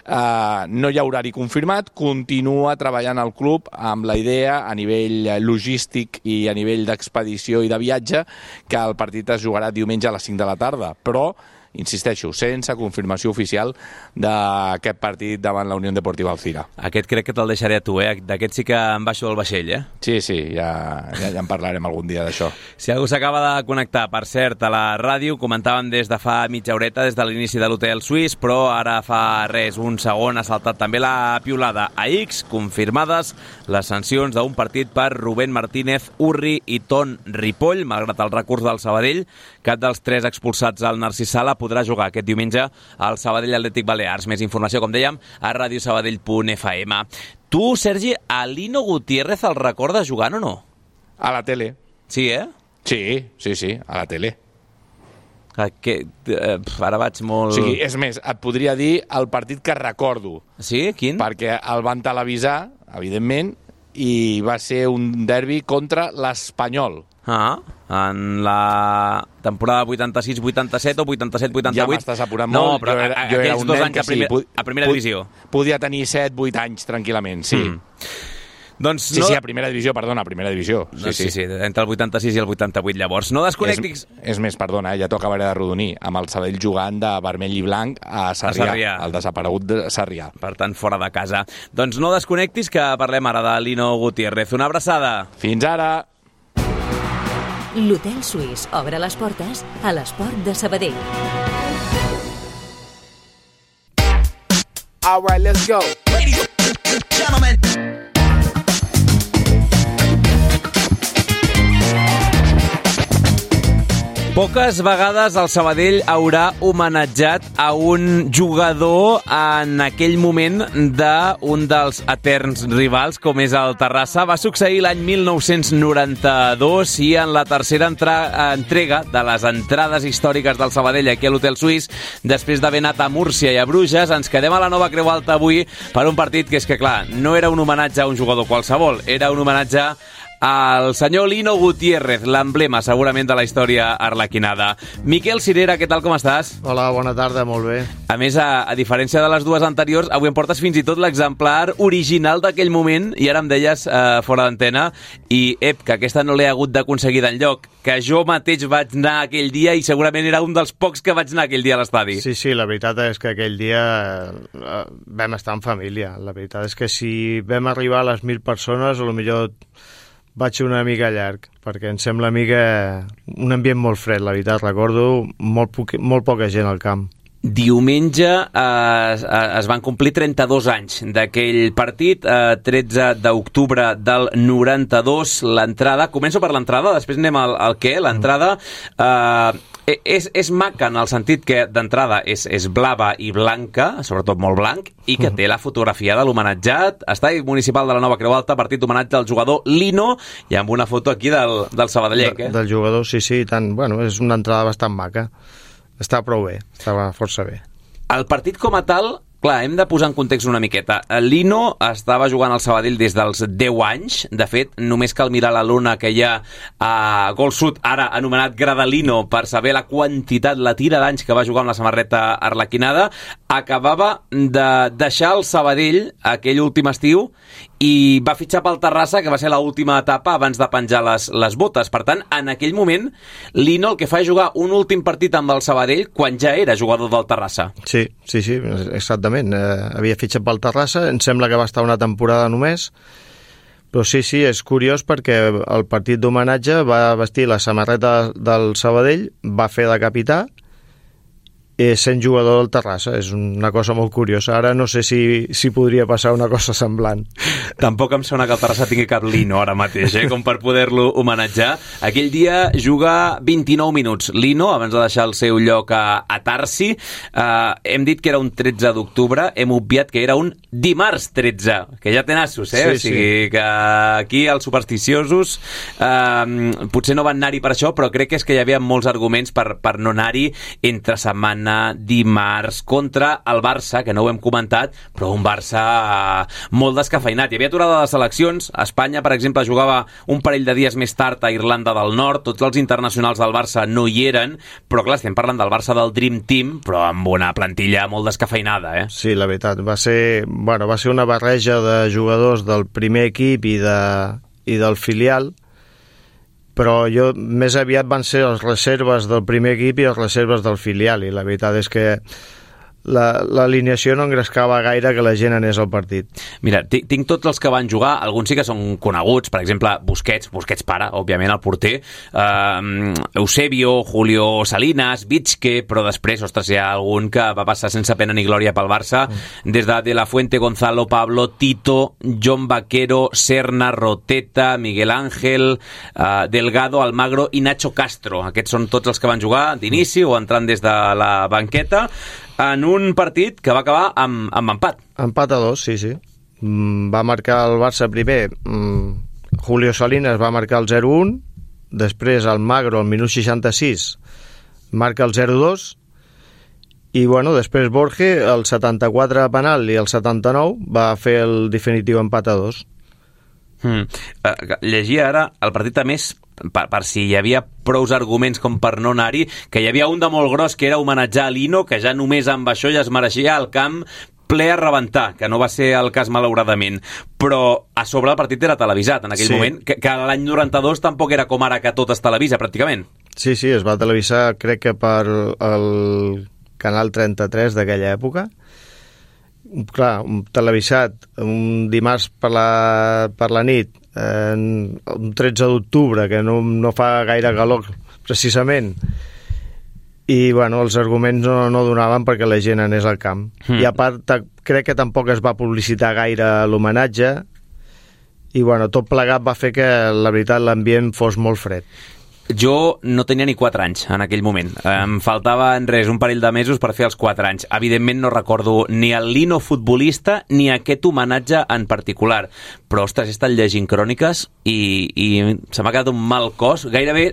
eh, no hi ha horari confirmat, continua treballant el club amb la idea a nivell logístic i a nivell d'expedició i de viatge que el partit es jugarà diumenge a les cinc de la tarda, però insisteixo, sense confirmació oficial d'aquest partit davant la Unió Deportiva Alcira.
Aquest crec que te'l deixaré a tu, eh? D'aquest sí que em baixo del vaixell, eh?
Sí, sí, ja, ja, ja en parlarem algun dia d'això.
Si algú s'acaba de connectar, per cert, a la ràdio, comentàvem des de fa mitja horeta, des de l'inici de l'Hotel Suís, però ara fa res, un segon, ha saltat també la piulada a X, confirmades les sancions d'un partit per Rubén Martínez, Urri i Ton Ripoll, malgrat el recurs del Sabadell. Cap dels tres expulsats al Narcís Sala podrà jugar aquest diumenge al Sabadell Atlètic Balears. Més informació, com dèiem, a radiosabadell punt f m. Tu, Sergi, a Lino Gutiérrez el recordes jugant o no?
A la tele.
Sí, eh?
Sí, sí, sí, a la tele.
Que, eh, ara vaig molt...
O sigui, és més, et podria dir el partit que recordo.
Sí? Quin?
Perquè el van televisar, evidentment, i va ser un derbi contra l'Espanyol.
Ah, en la temporada vuitanta-sis vuitanta-set o vuitanta-set vuitanta-vuit.
Ja m'estàs apurant
no,
molt.
però
jo era, jo era
aquells
un
dos
nen
anys
que
a, primer,
sí,
a primera
pod,
divisió.
Podia tenir set vuit anys tranquil·lament, sí. Mm.
Doncs
sí,
no...
sí, a primera divisió, perdona, a primera divisió. Sí,
no, sí, sí, sí, entre el vuitanta-sis i el vuitanta-vuit, llavors. No desconnectis...
És, és més, perdona, eh, ja t'ho acabaré de rodonir, amb el Sabadell jugant de vermell i blanc a Sarrià, a Sarrià. El desaparegut de Sarrià.
Per tant, fora de casa. Doncs no desconnectis, que parlem ara de Lino Gutiérrez. Una abraçada.
Fins ara!
L'Hotel Suís obre les portes a l'esport de Sabadell.
All right, let's go. Ladies and gentlemen.
Poques vegades el Sabadell haurà homenatjat a un jugador en aquell moment d'un dels eterns rivals, com és el Terrassa. Va succeir l'any mil nou-cents noranta-dos i en la tercera entra entrega de les entrades històriques del Sabadell aquí a l'Hotel Suís, després d'haver anat a Múrcia i a Bruges, ens quedem a la nova Creu Alta avui per un partit que és que, clar, no era un homenatge a un jugador qualsevol, era un homenatge al senyor Lino Gutiérrez, l'emblema segurament de la història arlequinada. Miquel Cirera, què tal, com estàs?
Hola, bona tarda, molt bé.
A més, a, a diferència de les dues anteriors, avui em portes fins i tot l'exemplar original d'aquell moment, i ara em deies eh, fora d'antena, i ep, que aquesta no l'he hagut d'aconseguir d'enlloc, que jo mateix vaig anar aquell dia i segurament era un dels pocs que vaig anar aquell dia a l'estadi.
Sí, sí, la veritat és que aquell dia eh, vam estar en família. La veritat és que si vam arribar a les mil persones, a lo millor vaig ser una mica llarg, perquè em sembla a mi que un ambient molt fred, la veritat. Recordo molt, poc, molt poca gent al camp.
Diumenge eh, es van complir trenta-dos anys d'aquell partit, eh, tretze d'octubre del noranta-dos, l'entrada, començo per l'entrada, després anem al, al què, l'entrada eh, és, és maca en el sentit que d'entrada és, és blava i blanca, sobretot molt blanc, i que té la fotografia de l'homenatjat, estadi municipal de la Nova Creu Alta, partit d'homenatge al jugador Lino, i amb una foto aquí del, del sabadellenc. Eh?
De, del jugador, sí, sí, tant, bueno, és una entrada bastant maca. Està prou bé, estava força bé.
El partit com a tal, clar, hem de posar en context una miqueta. Lino estava jugant al Sabadell des dels deu anys. De fet, només cal mirar la lona que hi ha a Gol Sud, ara anomenat Gradalino, per saber la quantitat, la tira d'anys que va jugar amb la samarreta arlequinada. Acabava de deixar el Sabadell aquell últim estiu i va fitxar pel Terrassa, que va ser l'última etapa abans de penjar les, les botes. Per tant, en aquell moment, Lino el que fa és jugar un últim partit amb el Sabadell quan ja era jugador del Terrassa.
Sí, sí, sí, exactament. Eh, havia fitxat pel Terrassa, em sembla que va estar una temporada només, però sí, sí, és curiós perquè el partit d'homenatge va vestir la samarreta del Sabadell, va fer de capità, i sent jugador del Terrassa. És una cosa molt curiosa. Ara no sé si, si podria passar una cosa semblant.
Tampoc em sona que el Terrassa tingui cap Lino ara mateix, eh? Com per poder-lo homenatjar. Aquell dia juga vint-i-nou minuts Lino, abans de deixar el seu lloc a, a Tarsi. Uh, hem dit que era un tretze d'octubre, hem obviat que era un dimarts tretze, que ja té nassos, eh? Sí, o sigui sí. Que aquí els supersticiosos uh, potser no van anar-hi per això, però crec que és que hi havia molts arguments per, per no anar-hi entre setmana, dimarts, contra el Barça, que no ho hem comentat, però un Barça molt descafeinat. Hi havia aturada de seleccions. Espanya, per exemple, jugava un parell de dies més tard a Irlanda del Nord. Tots els internacionals del Barça no hi eren, però clar, estem parlant del Barça del Dream Team, però amb una plantilla molt descafeinada, eh?
Sí, la veritat. Va ser, bueno, va ser una barreja de jugadors del primer equip i, de, i del filial, però jo més aviat van ser les reserves del primer equip i les reserves del filial, i la veritat és que l'alineació no engrescava gaire que la gent anés al partit.
Mira, tinc tots els que van jugar, alguns sí que són coneguts, per exemple, Busquets, Busquets pare, òbviament, el porter, uh, Eusebio, Julio Salinas, Vitske, però després, ostres, hi ha algun que va passar sense pena ni glòria pel Barça, mm. des de De La Fuente, Gonzalo, Pablo, Tito, John Vaquero, Serna, Roteta, Miguel Ángel, uh, Delgado, Almagro i Nacho Castro. Aquests són tots els que van jugar d'inici o entrant des de la banqueta, en un partit que va acabar amb, amb empat.
Empat a dos, sí, sí. Mm, va marcar el Barça primer, mm, Julio Salinas va marcar el zero un, després el Magro al minut seixanta-sis marca el zero dos, i bueno, després Borge el setanta-quatre a penal i el setanta-nou va fer el definitiu empat a dos.
Hmm. Uh, llegia ara el partit a més per, per si hi havia prous arguments com per no anar-hi, que hi havia un de molt gros que era homenatjar a Lino, que ja només amb això ja es mereixia el camp ple a rebentar, que no va ser el cas malauradament, però a sobre el partit era televisat en aquell sí. moment, que, que l'any noranta-dos tampoc era com ara que tot es televisa pràcticament.
Sí, sí, es va televisar crec que per el canal trenta-tres d'aquella època. Clar, un televisat un dimarts per la, per la nit, eh, un tretze d'octubre, que no, no fa gaire calor precisament, i bueno, els arguments no, no donaven perquè la gent anés al camp. Mm. I a part crec que tampoc es va publicitar gaire l'homenatge, i bueno, tot plegat va fer que la veritat l'ambient fos molt fred.
Jo no tenia ni quatre anys en aquell moment. Em faltaven res, un parell de mesos per fer els quatre anys. Evidentment no recordo ni el Lino futbolista ni aquest homenatge en particular. Però, ostres, he estat llegint cròniques i, i se m'ha quedat un mal cos. Gairebé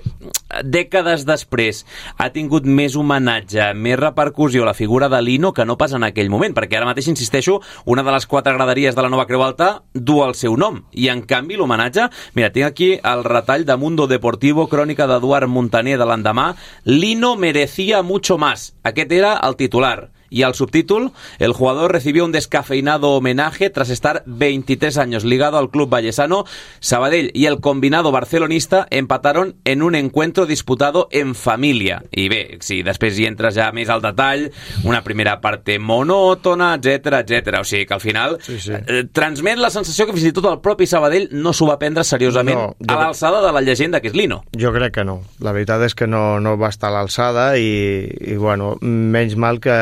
dècades després ha tingut més homenatge, més repercussió la figura de Lino que no pas en aquell moment, perquè ara mateix, insisteixo, una de les quatre graderies de la Nova Creu Alta du el seu nom. I, en canvi, l'homenatge... Mira, tinc aquí el retall de Mundo Deportivo, crònica d'Eduard Montaner de l'endemà. Lino merecía mucho más. Aquest era el titular. y al subtítulo, el jugador recibió un descafeinado homenaje tras estar veintitrés años ligado al club vallesano. Sabadell y el combinado barcelonista empataron en un encuentro disputado en família. I bé, si després hi entres ja més al detall, una primera part monòtona, etcètera, etcètera. O sigui que al final sí, sí. Eh, transmet la sensació que fins i tot el propi Sabadell no s'ho va prendre seriosament no, jo... a l'alçada de la llegenda que és Lino.
Jo crec que no. La veritat és que no, no va estar a l'alçada i, i bueno, menys mal que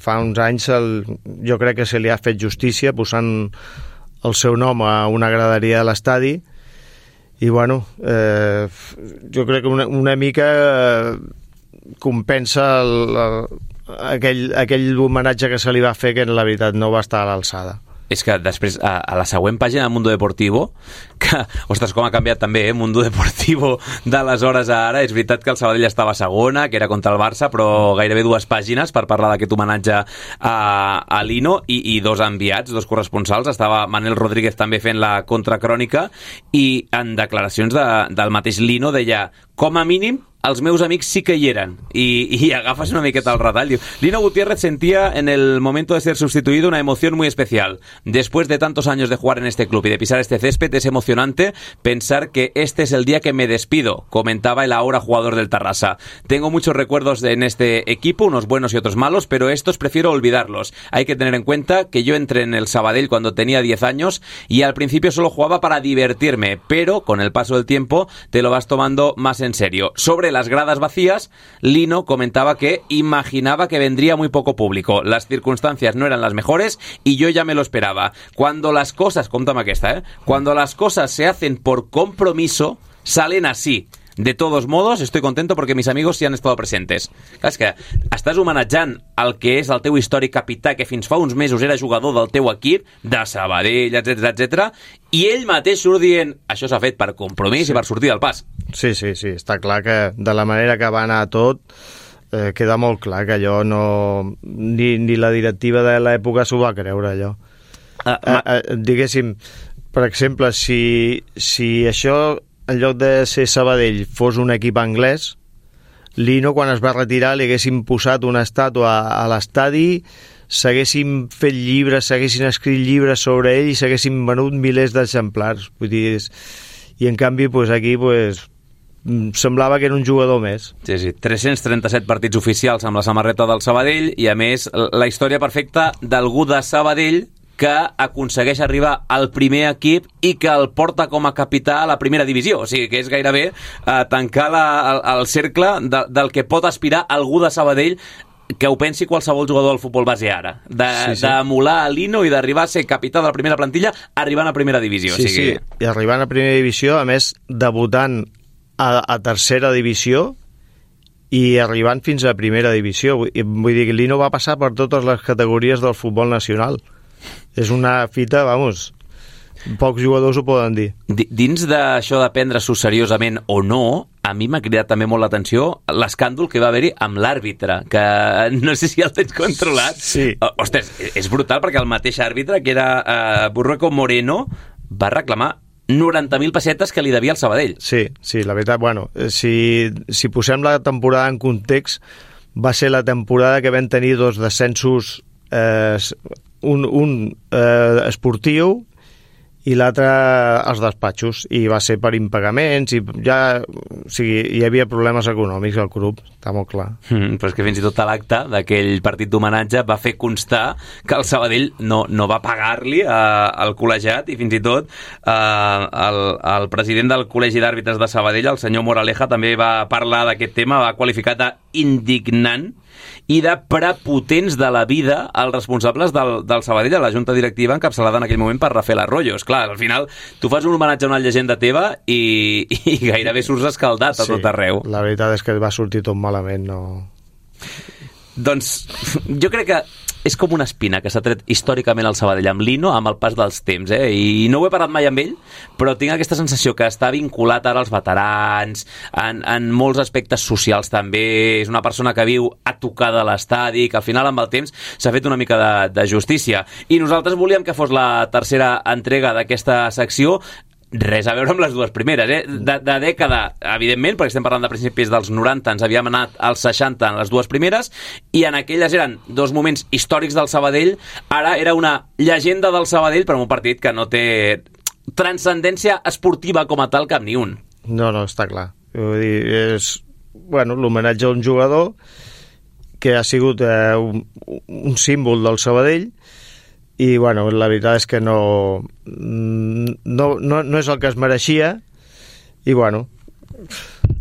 fa uns anys el, jo crec que se li ha fet justícia posant el seu nom a una graderia de l'estadi i bueno, eh, jo crec que una, una mica eh, compensa el, el, aquell, aquell homenatge que se li va fer que en la veritat no va estar a l'alçada.
És que després, a, a la següent pàgina de Mundo Deportivo, que, ostres, com ha canviat també, eh? Mundo Deportivo d'aleshores a ara, és veritat que el Sabadell estava segona, que era contra el Barça, però gairebé dues pàgines per parlar d'aquest homenatge a, a Lino i, i dos enviats, dos corresponsals. Estava Manel Rodríguez també fent la contracrònica i en declaracions de, del mateix Lino deia, com a mínim, els meus amics sí que hi eren. Y, y agafas una miqueta al radar. Lino Gutiérrez sentía en el momento de ser sustituido una emoción muy especial. Después de tantos años de jugar en este club y de pisar este césped, es emocionante pensar que este es el día que me despido, comentaba el ahora jugador del Tarrasa. Tengo muchos recuerdos en este equipo, unos buenos y otros malos, pero estos prefiero olvidarlos. Hay que tener en cuenta que yo entré en el Sabadell cuando tenía diez años y al principio solo jugaba para divertirme, pero con el paso del tiempo te lo vas tomando más en serio. Sobre las gradas vacías, Lino comentaba que imaginaba que vendría muy poco público. Las circunstancias no eran las mejores y yo ya me lo esperaba. Cuando las cosas, contame aquesta, ¿eh? Cuando las cosas se hacen por compromiso, salen así. De todos modos, estoy contento porque mis amigos sí han estado presentes. Clar, és que estàs homenatjant el que és el teu històric capità, que fins fa uns mesos era jugador del teu equip, de Sabadell, etcètera, etcètera, i ell mateix surt dient això s'ha fet per compromís sí. i per sortir del pas.
Sí, sí, sí, està clar que de la manera que va anar tot eh, queda molt clar que allò no... Ni, ni la directiva de l'època s'ho va creure, allò. Uh, uh, uh, diguéssim, per exemple, si, si això... en lloc de ser Sabadell fos un equip anglès, Lino quan es va retirar li haguessin posat una estàtua a l'estadi, s'haguessin fet llibres, s'haguessin escrit llibres sobre ell i s'haguessin venut milers d'exemplars. Vull dir, i en canvi pues, aquí pues, semblava que era un jugador més.
Sí, sí, tres-cents trenta-set partits oficials amb la samarreta del Sabadell i a més la història perfecta d'algú de Sabadell que aconsegueix arribar al primer equip i que el porta com a capità a la primera divisió. O sigui, que és gairebé eh, tancar la, el, el cercle de, del que pot aspirar algú de Sabadell que ho pensi qualsevol jugador del futbol base ara. D'emular de, sí, sí. a Lino i d'arribar a ser capità de la primera plantilla arribant a primera divisió.
Sí, o sigui... sí, i arribant a primera divisió, a més, debutant a, a tercera divisió i arribant fins a primera divisió. Vull dir que Lino va passar per totes les categories del futbol nacional. És una fita, vamos, pocs jugadors ho poden dir.
Dins d'això de prendre-s'ho seriosament o no, a mi m'ha cridat també molt l'atenció l'escàndol que va haver-hi amb l'àrbitre, que no sé si el tens controlat.
Sí.
Ostres, és brutal perquè el mateix àrbitre, que era uh, Burrueco Moreno, va reclamar noranta mil pessetes que li devia al Sabadell.
Sí, sí, la veritat, bueno, si, si posem la temporada en context, va ser la temporada que vam tenir dos descensos eh, un, un eh, esportiu i l'altre als despatxos, i va ser per impagaments i ja, o sigui, hi havia problemes econòmics al club, està molt clar.
Mm, però és que fins i tot a l'acte d'aquell partit d'homenatge va fer constar que el Sabadell no, no va pagar-li eh, al col·legiat, i fins i tot eh, el, el president del Col·legi d'Àrbitres de Sabadell, el senyor Moraleja, també va parlar d'aquest tema, va qualificar d'indignant i de prepotents de la vida els responsables del, del Sabadell a la junta directiva encapçalada en aquell moment per Rafael Arroyo. Esclar, al final tu fas un homenatge a una llegenda teva i, i gairebé surts escaldat a sí, tot arreu.
La veritat és que va sortir tot malament, no...
Doncs jo crec que és com una espina que s'ha tret històricament al Sabadell amb Lino amb el pas dels temps, eh? I no ho he parlat mai amb ell, però tinc aquesta sensació que està vinculat ara als veterans, en, en molts aspectes socials també, és una persona que viu a tocar de l'estadi, que al final amb el temps s'ha fet una mica de, de justícia. I nosaltres volíem que fos la tercera entrega d'aquesta secció. res a veure amb les dues primeres, eh? De, de dècada, evidentment, perquè estem parlant de principis dels noranta, ens havíem anat als seixanta en les dues primeres, i en aquelles eren dos moments històrics del Sabadell, ara era una llegenda del Sabadell, però en un partit que no té transcendència esportiva com a tal cap ni un.
No, no, està clar. Vull dir, és, bueno, l'homenatge a un jugador que ha sigut eh, un, un símbol del Sabadell, i bueno, la veritat és que no, no, no, no és el que es mereixia, i bueno,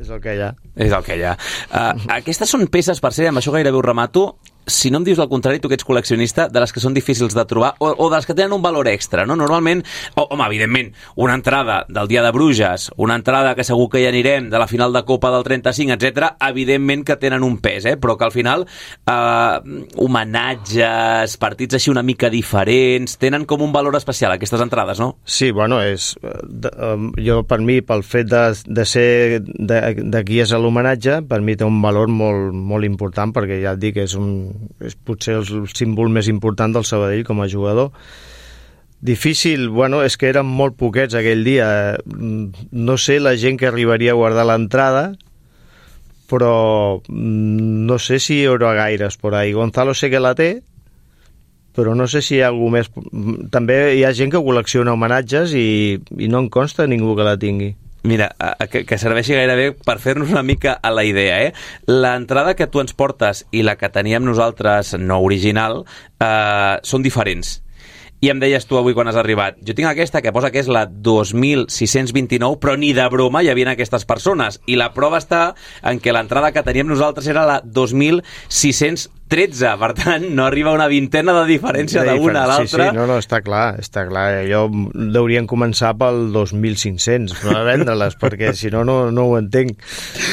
és el que hi ha.
És el que hi ha. Uh, aquestes són peces, per ser, amb això gairebé ho remato, si no em dius el contrari, tu que ets col·leccionista, de les que són difícils de trobar, o, o de les que tenen un valor extra, no? Normalment, o, home, evidentment, una entrada del dia de Bruges, una entrada que segur que hi anirem, de la final de Copa del trenta-cinc, etcètera, evidentment que tenen un pes, eh? Però que al final eh, homenatges, partits així una mica diferents, tenen com un valor especial aquestes entrades, no?
Sí, bueno, és de, um, jo per mi, pel fet de, de ser de, de qui és l'homenatge, per mi té un valor molt, molt important, perquè ja et dic, és un és potser el símbol més important del Sabadell com a jugador. Difícil, bueno, és que eren molt poquets aquell dia. No sé la gent que arribaria a guardar l'entrada, però no sé si hi haurà gaires por ahí. Gonzalo sé que la té, però no sé si hi ha algú més. També hi ha gent que col·lecciona homenatges i, i no en consta ningú que la tingui.
Mira, que, que serveixi gairebé per fer-nos una mica a la idea, eh? L'entrada que tu ens portes i la que teníem nosaltres no original eh, són diferents. I em deies tu avui quan has arribat, jo tinc aquesta que posa que és la dos mil sis-cents vint-i-nou, però ni de broma hi havia aquestes persones. I la prova està en que l'entrada que teníem nosaltres era la dos mil sis-cents tretze, per tant, no arriba una vintena de diferència d'una a l'altra.
Sí, sí, no, no, està clar, està clar. Jo deurien començar pel dos mil cinc-cents, no a vendre-les, perquè si no, no, no ho entenc.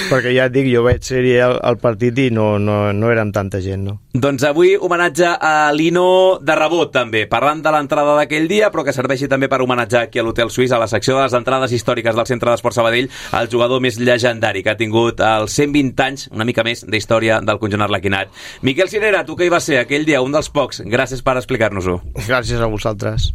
Perquè ja et dic, jo vaig ser al, al partit i no, no, no érem tanta gent, no?
Doncs avui homenatge a Lino de rebot, també, parlant de l'entrada d'aquell dia, però que serveixi també per homenatjar aquí a l'Hotel Suís, a la secció de les entrades històriques del Centre d'Esport Sabadell, el jugador més llegendari que ha tingut els cent vint anys, una mica més, d'història del conjunt arlequinat. Miquel Cirera, tu que hi va ser aquell dia, un dels pocs, gràcies per explicar-nos-ho.
Gràcies a vosaltres.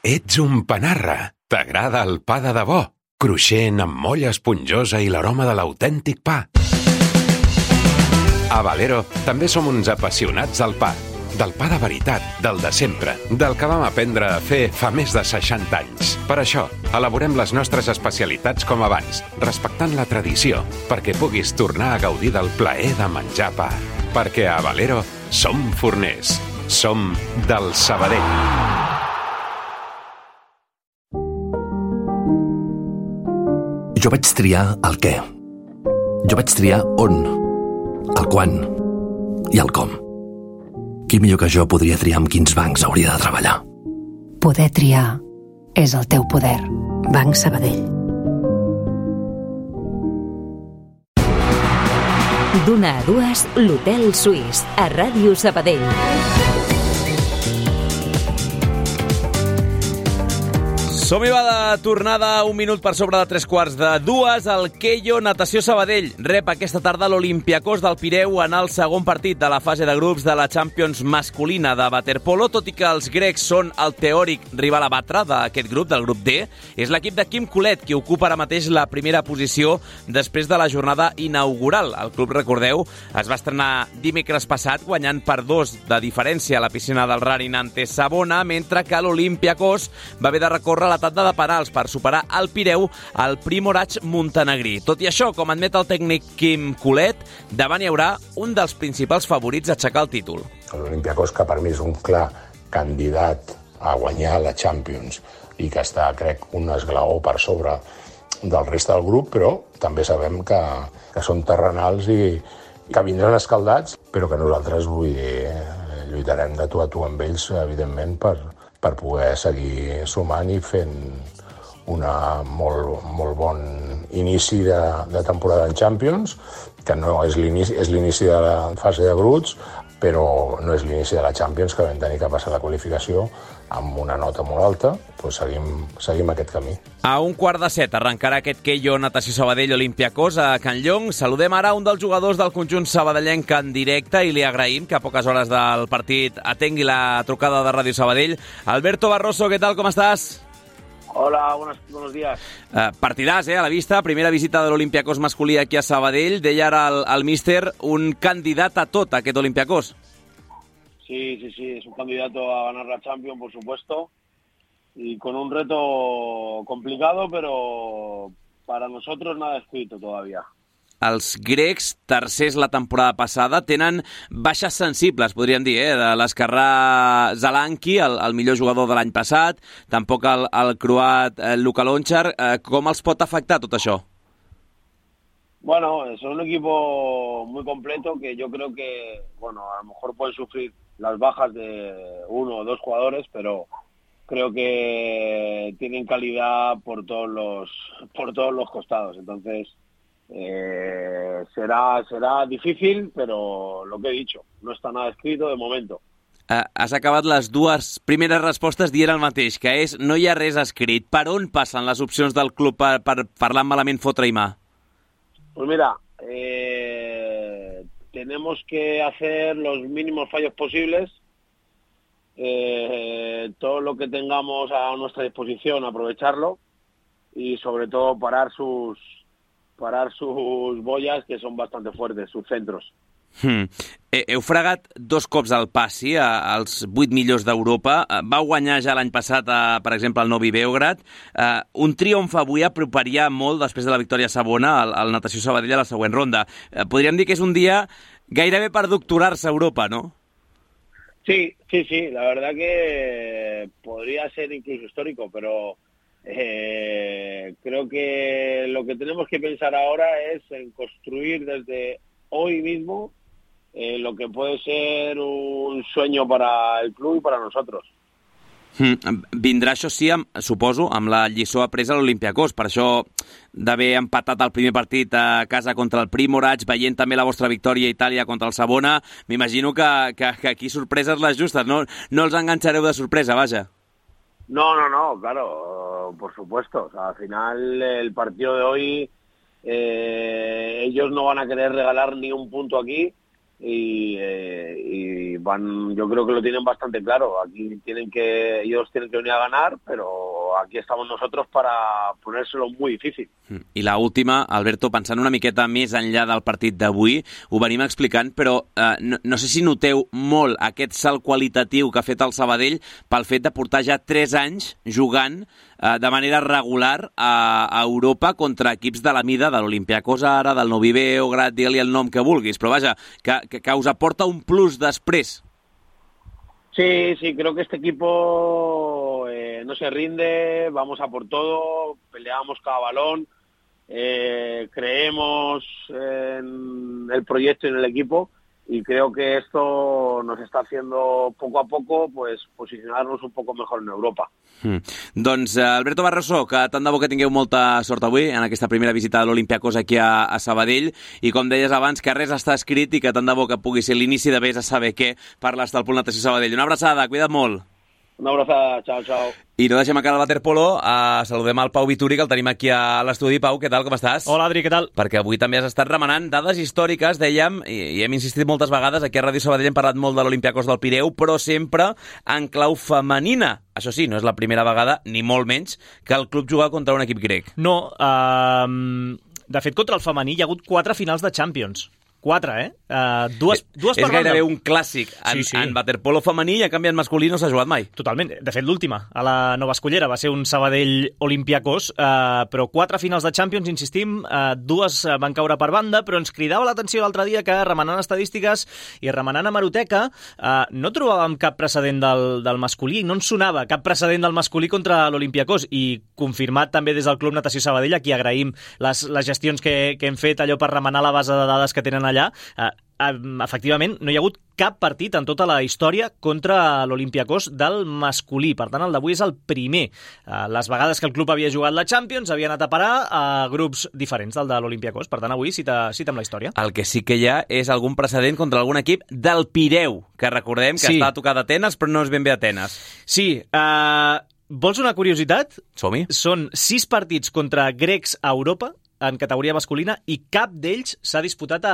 Ets un panarra. T'agrada el pa de debò, cruixent amb molla esponjosa i l'aroma de l'autèntic pa. A Valero també som uns apassionats del pa. Del pa de veritat, del de sempre, del que vam aprendre a fer fa més de seixanta anys. Per això, elaborem les nostres especialitats com abans, respectant la tradició, perquè puguis tornar a gaudir del plaer de menjar pa. Perquè a Valero som forners, som del Sabadell.
Jo vaig triar el què. Jo vaig triar on, el quan i el com. Qui millor que jo podria triar amb quins bancs hauria de treballar?
Poder triar és el teu poder. Banc Sabadell.
D'una a dues, l'Hotel Suís, a Ràdio Sabadell.
Som-hi va de tornada, un minut per sobre de tres quarts de dues. El Keio Natació Sabadell rep aquesta tarda l'Olympiacos del Pireu en el segon partit de la fase de grups de la Champions masculina de waterpolo. Tot i que els grecs són el teòric rival a batre d'aquest grup, del grup D, és l'equip de Quim Colet qui ocupa ara mateix la primera posició després de la jornada inaugural. El club, recordeu, es va estrenar dimecres passat guanyant per dos de diferència a la piscina del Rarin ante Savona, mentre que l'Olympiacos va haver de recórrer la tanda de penals per superar el Pireu al Primorac montenegrí. Tot i això, com admet el tècnic Quim Colet, davant hi haurà un dels principals favorits a aixecar el títol.
L'Olympiacos, que per mi és un clar candidat a guanyar la Champions i que està, crec, un esglaó per sobre del reste del grup, però també sabem que, que són terrenals i que vindran escaldats, però que nosaltres, vull dir, lluitarem de tu a tu amb ells, evidentment, per, per poder seguir sumant i fent una molt, molt bon inici de, de temporada en Champions, que no és l'inici, és l'inici de la fase de grups, però no és l'inici de la Champions, que vam tenir que passar la qualificació amb una nota molt alta, doncs seguim, seguim aquest camí.
A un quart de set arrencarà aquest Keio Natació Sabadell Olympiacos a Can Llong. Saludem ara un dels jugadors del conjunt sabadellenc en directe i li agraïm que a poques hores del partit atengui la trucada de Ràdio Sabadell. Alberto Barroso, què tal, com estàs?
Hola, buenos, buenos días.
Uh, partidàs, eh, a la vista. Primera visita de l'Olympiacos masculí aquí a Sabadell. Deia ara el, el míster, un candidat a tot, aquest Olympiacos.
Sí, sí, sí, es un candidato a ganar la Champions, por supuesto. Y con un reto complicado, pero para nosotros nada escrito todavía.
Els grecs, tercers la temporada passada, tenen baixes sensibles, podríem dir, eh? De l'esquerrà Zalanki, el, el millor jugador de l'any passat, tampoc el, el croat eh, Luka Lončar. Eh, com els pot afectar tot això?
Bueno, es un equipo muy completo que yo creo que, bueno, a lo mejor pueden sufrir las bajas de uno o dos jugadores, pero creo que tienen calidad por todos los, por todos los costados. Entonces, Eh, será, será difícil, pero lo que he dicho, no està nada escrito de momento.
Uh, has acabat les dues primeres respostes dient el mateix, que és no hi ha res escrit. Per on passen les opcions del club per, per parlar malament, fotre i mà?
Pues mira, eh, tenemos que hacer los mínimos fallos posibles, eh, todo lo que tengamos a nuestra disposición, aprovecharlo y sobre todo parar sus parar sus boyas, que són bastante fuertes, sus centros.
Hmm. Heu fregat dos cops el passi als vuit millors d'Europa. Va guanyar ja l'any passat, a, per exemple, el Novi Beograd. Uh, un triomf avui aproparia molt, després de la victòria segona, al, al Natació Sabadell a la següent ronda. Uh, podríem dir que és un dia gairebé per doctorar-se a Europa, no?
Sí, sí, sí. La verdad que podría ser incluso histórico, pero Eh, creo que lo que tenemos que pensar ahora es en construir desde hoy mismo eh, lo que puede ser un sueño para el club y para nosotros.
Mm, vindrà, això sí, amb, suposo, amb la lliçó apresa a l'Olympiacos. Per això d'haver empatat el primer partit a casa contra el Primorac, veient també la vostra victòria a Itàlia contra el Savona, m'imagino que, que, que aquí sorpreses les justes, no, no els enganxareu de sorpresa, vaja.
No, no, no, claro, por supuesto. O sea, al final el partido de hoy, eh, ellos no van a querer regalar ni un punto aquí y, eh, y van, yo creo que lo tienen bastante claro. Aquí tienen que, ellos tienen que venir a ganar, pero aquí estamos nosotros para ponérselo muy difícil.
I la última, Alberto, pensant una miqueta més enllà del partit d'avui, ho venim explicant, però eh, no, no sé si noteu molt aquest salt qualitatiu que ha fet el Sabadell pel fet de portar ja tres anys jugant eh, de manera regular a, a Europa contra equips de la mida de l'Olympiacos ara, del Novi Beograd, digue-li el nom que vulguis, però vaja, que, que, que us aporta un plus després.
Sí, sí, creo que este equipo eh, no se rinde, vamos a por todo, peleamos cada balón, eh, creemos en el proyecto y en el equipo y creo que esto nos está haciendo poco a poco pues posicionarnos un poco mejor en Europa.
Mm. Doncs Alberto Barroso, que tant de bo que tingueu molta sort avui en aquesta primera visita de l'Olympiacos aquí a, a Sabadell i com deies abans, que res està escrit i que tant de bo que pugui ser l'inici de vés a saber què parles del Pool Natació Sabadell. Una abraçada, cuida't molt.
Una abraçada, xau, xau.
I no deixem acabar el waterpolo, uh, saludem al Pau Vituri, que el tenim aquí a l'estudi. Pau, què tal, com estàs?
Hola, Adri, què tal?
Perquè avui també has estat remenant dades històriques, dèiem, i, i hem insistit moltes vegades, aquí a Ràdio Sabadell hem parlat molt de l'Olympiacos del Pireu, però sempre en clau femenina. Això sí, no és la primera vegada, ni molt menys, que el club juga contra un equip grec.
No, uh, de fet, contra el femení hi ha hagut quatre finals de Champions. Quatre, eh? Uh, dues, dues
és
per
gairebé
banda.
un clàssic en,
sí, sí.
en waterpolo femení i a canvi en masculí no s'ha jugat mai.
Totalment. De fet, l'última, a la Nova Escollera, va ser un Sabadell Olympiacos, uh, però quatre finals de Champions, insistim, uh, dues van caure per banda, però ens cridava l'atenció l'altre dia que, remenant estadístiques i remenant hemeroteca, uh, no trobàvem cap precedent del, del masculí, no ens sonava cap precedent del masculí contra l'Olympiacos, i confirmat també des del Club Natació Sabadell, a qui agraïm les, les gestions que, que hem fet, allò per remenar la base de dades que tenen allà Cornellà, eh, efectivament no hi ha hagut cap partit en tota la història contra l'Olympiacos del masculí. Per tant, el d'avui és el primer. Les vegades que el club havia jugat la Champions havia anat a parar a grups diferents del de l'Olympiacos. Per tant, avui cita, cita amb la història.
El que sí que hi ha és algun precedent contra algun equip del Pireu, que recordem que sí. està a tocar d'Atenes, però no és ben bé Atenes.
Sí, eh... vols una curiositat?
Som-hi.
Són sis partits contra grecs a Europa, en categoria masculina, i cap d'ells s'ha disputat a,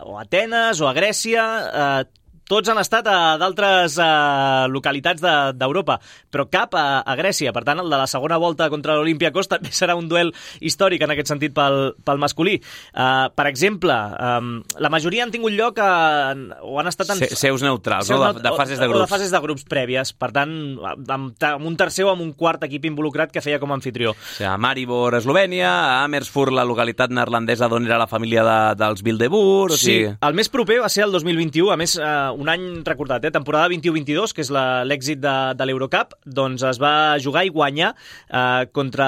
o a Atenes o a Grècia. Eh, tots han estat a d'altres eh, localitats d'Europa, de, però cap a, a Grècia. Per tant, el de la segona volta contra l'Olympiacos també serà un duel històric en aquest sentit pel, pel masculí. Eh, per exemple, eh, la majoria han tingut lloc a, o han estat en...
Se, seus neutrals, seus no? de, de fases de grups.
O de fases de grups prèvies. Per tant, amb, amb un tercer o amb un quart equip involucrat que feia com a anfitrió.
O sigui, a Maribor, Eslovènia, a Amersfoort, la localitat neerlandesa d'on era la família de, dels Bilderburg... O sigui...
Sí, el més proper va ser el dos mil vint-i-u, a més, eh, un any recordat, eh? temporada vint-i-u vint-i-dos, que és l'èxit de, de l'Eurocup, doncs es va jugar i guanyar eh, contra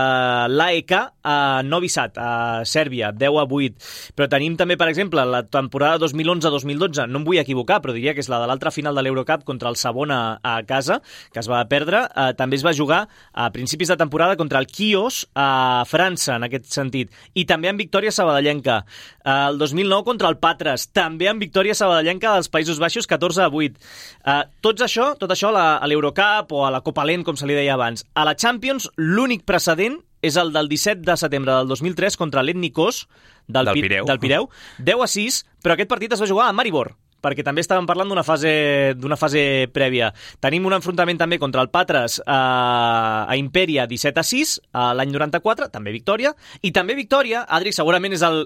l'A E K a Novi Sad, a Sèrbia, deu a vuit. Però tenim també, per exemple, la temporada dos mil onze dos mil dotze, no em vull equivocar, però diria que és la de l'altra final de l'Eurocup contra el Savona a casa, que es va perdre. Eh, també es va jugar a principis de temporada contra el Quios a França, en aquest sentit. I també en victòria sabadellenca. Eh, el dos mil nou contra el Patres, també en victòria sabadellenca als Països Baixos, catorze a vuit. Uh, tots això, tot això a l'Eurocup o a la Copa Lent, com se li deia abans. A la Champions, l'únic precedent és el del disset de setembre del dos mil tres contra l'Etnikos del,
del Pireu.
del Pireu, deu a sis, però aquest partit es va jugar a Maribor, perquè també estàvem parlant d'una fase, d'una fase prèvia. Tenim un enfrontament també contra el Patres a, a Imperia, disset a sis, a l'any noranta-quatre, també victòria, i també victòria, Adri, segurament és el...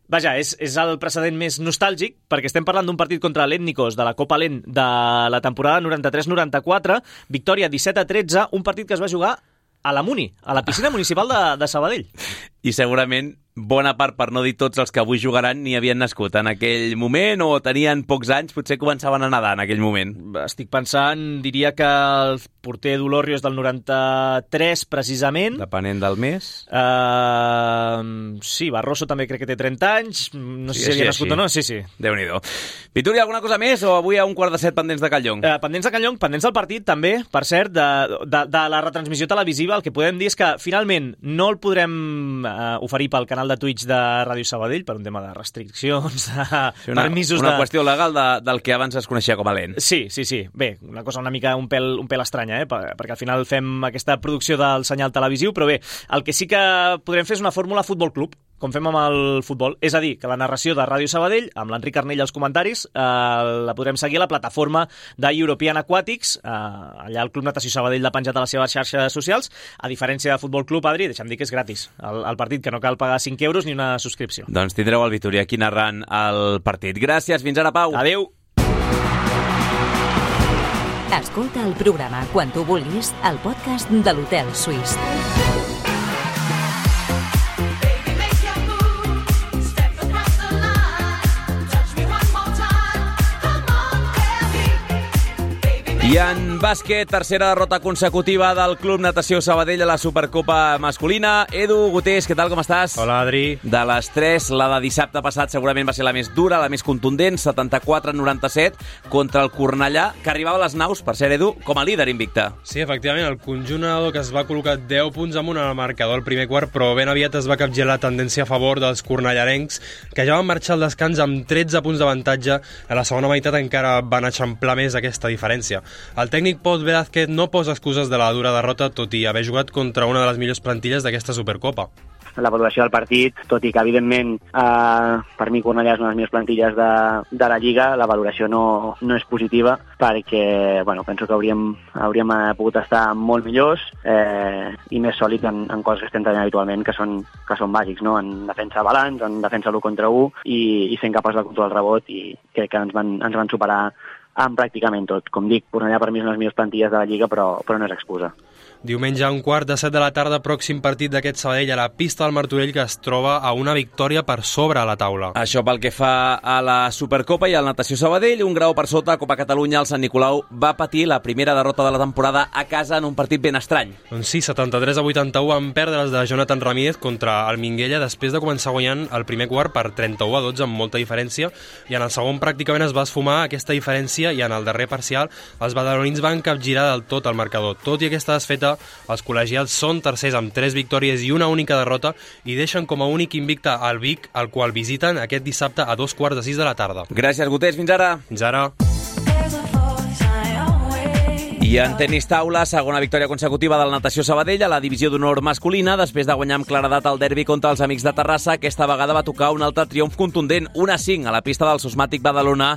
Vaja, és, és el precedent més nostàlgic, perquè estem parlant d'un partit contra l'Etnikos de la Copa Lent de la temporada noranta-tres noranta-quatre, victòria disset a tretze, un partit que es va jugar a la Muni, a la piscina municipal de, de Sabadell.
I segurament bona part, per no dir tots els que avui jugaran, ni havien nascut en aquell moment o tenien pocs anys, potser començaven a nedar en aquell moment.
Estic pensant, diria que el porter d'Olorrio és del noranta-tres, precisament.
Depenent del mes.
Uh, sí, Barroso també crec que té trenta anys. No sé sí, si havia nascut o no. Sí, sí.
Déu-n'hi-do. Vituri, alguna cosa més o avui a un quart de set pendents de Calllong?
Uh, pendents de Calllong, pendents del partit també, per cert, de, de, de la retransmissió televisiva. El que podem dir és que finalment no el podrem uh, oferir pel canal de Twitch de Ràdio Sabadell per un tema de restriccions, de
sí, una, permisos una de... qüestió legal de, del que abans es coneixia com a Lent.
Sí, sí, sí. Bé, una cosa una mica un pèl, un pèl estranya, eh? perquè al final fem aquesta producció del senyal televisiu, però bé, el que sí que podrem fer és una fórmula Futbol Club, com fem amb el futbol. És a dir, que la narració de Ràdio Sabadell, amb l'Enric Arnell als comentaris, eh, la podrem seguir a la plataforma de European Aquatics, eh, allà el Club Natació Sabadell l'ha penjat a les seves xarxes socials, a diferència de Futbol Club, Adri, deixa'm dir que és gratis el, el partit, que no cal pagar cinc euros ni una subscripció.
Doncs tindreu el Vituri aquí narrant el partit. Gràcies, fins ara, Pau.
Adéu.
Escolta el programa quan tu vulguis al podcast de l'Hotel Suís.
I en bàsquet, tercera derrota consecutiva del Club Natació Sabadell a la Supercopa masculina. Edu Gutés, què tal, com estàs?
Hola, Adri.
De les tres, la de dissabte passat segurament va ser la més dura, la més contundent, setanta-quatre a noranta-set contra el Cornellà, que arribava a les naus, per ser, Edu, com a líder invicte.
Sí, efectivament, el conjunt nedador que es va col·locar deu punts amunt al marcador al primer quart, però ben aviat es va capgirar la tendència a favor dels cornellarencs, que ja van marxar al descans amb tretze punts d'avantatge. A la segona meitat encara van eixamplar més aquesta diferència. El tècnic Pol Velázquez no posa excuses de la dura derrota, tot i haver jugat contra una de les millors plantilles d'aquesta Supercopa.
La valoració del partit, tot i que evidentment eh, per mi Cornellà és una de les millors plantilles de, de la Lliga, la valoració no, no és positiva perquè bueno, penso que hauríem, hauríem pogut estar molt millors eh, i més sòlids en, en coses que estem tenint habitualment que són, que són bàsics, no? En defensa balanç, en defensa l'u contra u i, i sent capaç de controlar el rebot, i crec que ens van, ens van superar en pràcticament tot. Com dic, Cornellà per mi és una de les millors plantilles de la Lliga, però, però no és excusa.
Diumenge a un quart de set de la tarda, pròxim partit d'aquest Sabadell a la pista del Martorell, que es troba a una victòria per sobre a la taula.
Això pel que fa a la Supercopa i al Natació Sabadell, un grau per sota a Copa Catalunya, el Sant Nicolau va patir la primera derrota de la temporada a casa en un partit ben estrany.
Doncs sí, setanta-tres a vuitanta-u van perdre els de Jonathan Ramírez contra el Minguella després de començar guanyant el primer quart per trenta-u a dotze amb molta diferència, i en el segon pràcticament es va esfumar aquesta diferència i en el darrer parcial els badalonins van capgirar del tot el marcador. Tot i aquesta desfeta, els col·legials són tercers amb tres victòries i una única derrota i deixen com a únic invicte al Vic, el qual visiten aquest dissabte a dos quarts de sis de la tarda.
Gràcies, Gotés. Fins ara.
Fins ara.
I en tenis taula, segona victòria consecutiva del Natació Sabadell a la divisió d'honor masculina. Després de guanyar amb claredat el derbi contra els Amics de Terrassa, aquesta vegada va tocar un altre triomf contundent, un a cinc a la pista del Sosmàtic Badalona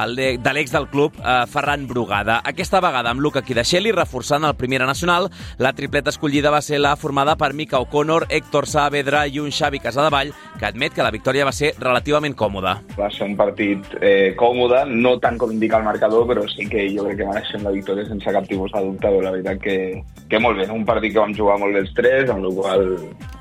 de l'ex del club, Ferran Brugada. Aquesta vegada amb Luca Kidasheli reforçant el Primera Nacional. La tripleta escollida va ser la formada per Mika O'Connor, Héctor Saavedra i un Xavi Casadevall, que admet que la victòria va ser relativament còmoda.
Va ser un partit eh, còmode, no tant com indica el marcador, però sí que jo crec que mereixem la victòria sense cap tipus de dubte. La veritat que, que molt bé, un partit que vam jugar molt bé els tres, amb la qual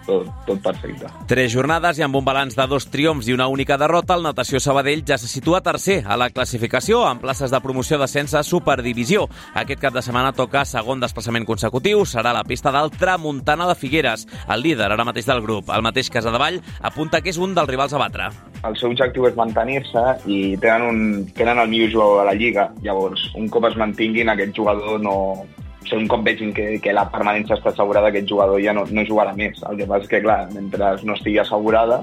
tot, tot perfecte.
Tres jornades i amb un balanç de dos triomfs i una única derrota, el Natació Sabadell ja se situa tercer a la classificació, amb places de promoció d'ascens a Superdivisió. Aquest cap de setmana toca segon desplaçament consecutiu, serà la pista del Tramuntana de Figueres, el líder ara mateix del grup. El mateix Casadevall apunta que és un dels rivals a batre.
El seu objectiu és mantenir-se i tenen, un, tenen el millor jugador de la Lliga. Llavors, un cop es mantinguin, aquest jugador no... O sigui, un cop vegin que, que la permanència està assegurada, aquest jugador ja no, no jugarà més. El que passa és que, clar, mentre no estigui assegurada,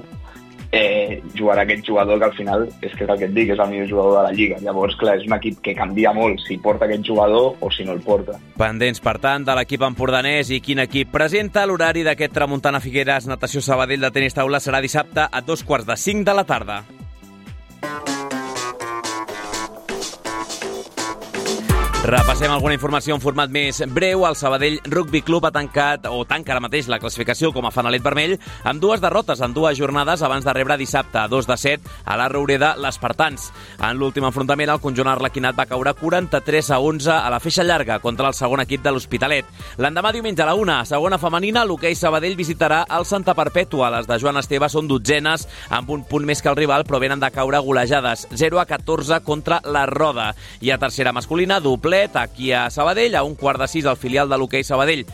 eh, jugarà aquest jugador que al final és que és el que et dic, és el millor jugador de la Lliga. Llavors, clar, és un equip que canvia molt si porta aquest jugador o si no el porta.
Pendents, per tant, de l'equip empordanès i quin equip presenta. L'horari d'aquest Tramuntana Figueres Natació Sabadell de tenis taula serà dissabte a dos quarts de cinc de la tarda. Repassem alguna informació en format més breu. El Sabadell Rugby Club ha tancat, o tanca ara mateix, la classificació com a fanalet vermell, amb dues derrotes en dues jornades abans de rebre dissabte a dos de set a la Roureda l'Espartans. En l'últim enfrontament, el conjunt arlequinat va caure quaranta-tres a onze a la feixa llarga contra el segon equip de l'Hospitalet. L'endemà, diumenge a la una, segona femenina, l'hoquei Sabadell visitarà el Santa Perpètua. Les de Joan Esteve són dotzenes, amb un punt més que el rival, però venen de caure golejades, zero a catorze contra la Roda. I a tercera masculina, doble aquí a Sabadell, a un quart de sis al filial de l'hoquei Sabadell,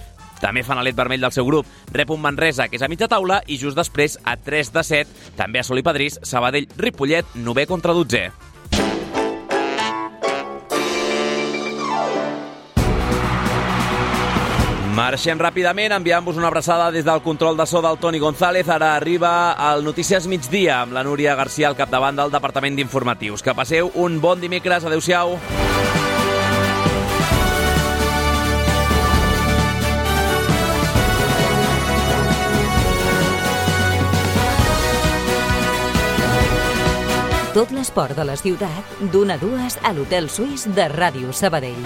també fanalet vermell del seu grup, rep un Manresa, que és a mitja taula, i just després, a tres de set, també a Sol i Padrís, Sabadell-Ripollet, novè contra dotzè. Marxem ràpidament, enviant-vos una abraçada des del control de so del Toni González. Ara arriba el Notícies Migdia amb la Núria García al capdavant del Departament d'Informatius. Que passeu un bon dimecres. Adéu-siau.
Tot l'esport de la ciutat, d'una a dues a l'Hotel Suís de Ràdio Sabadell.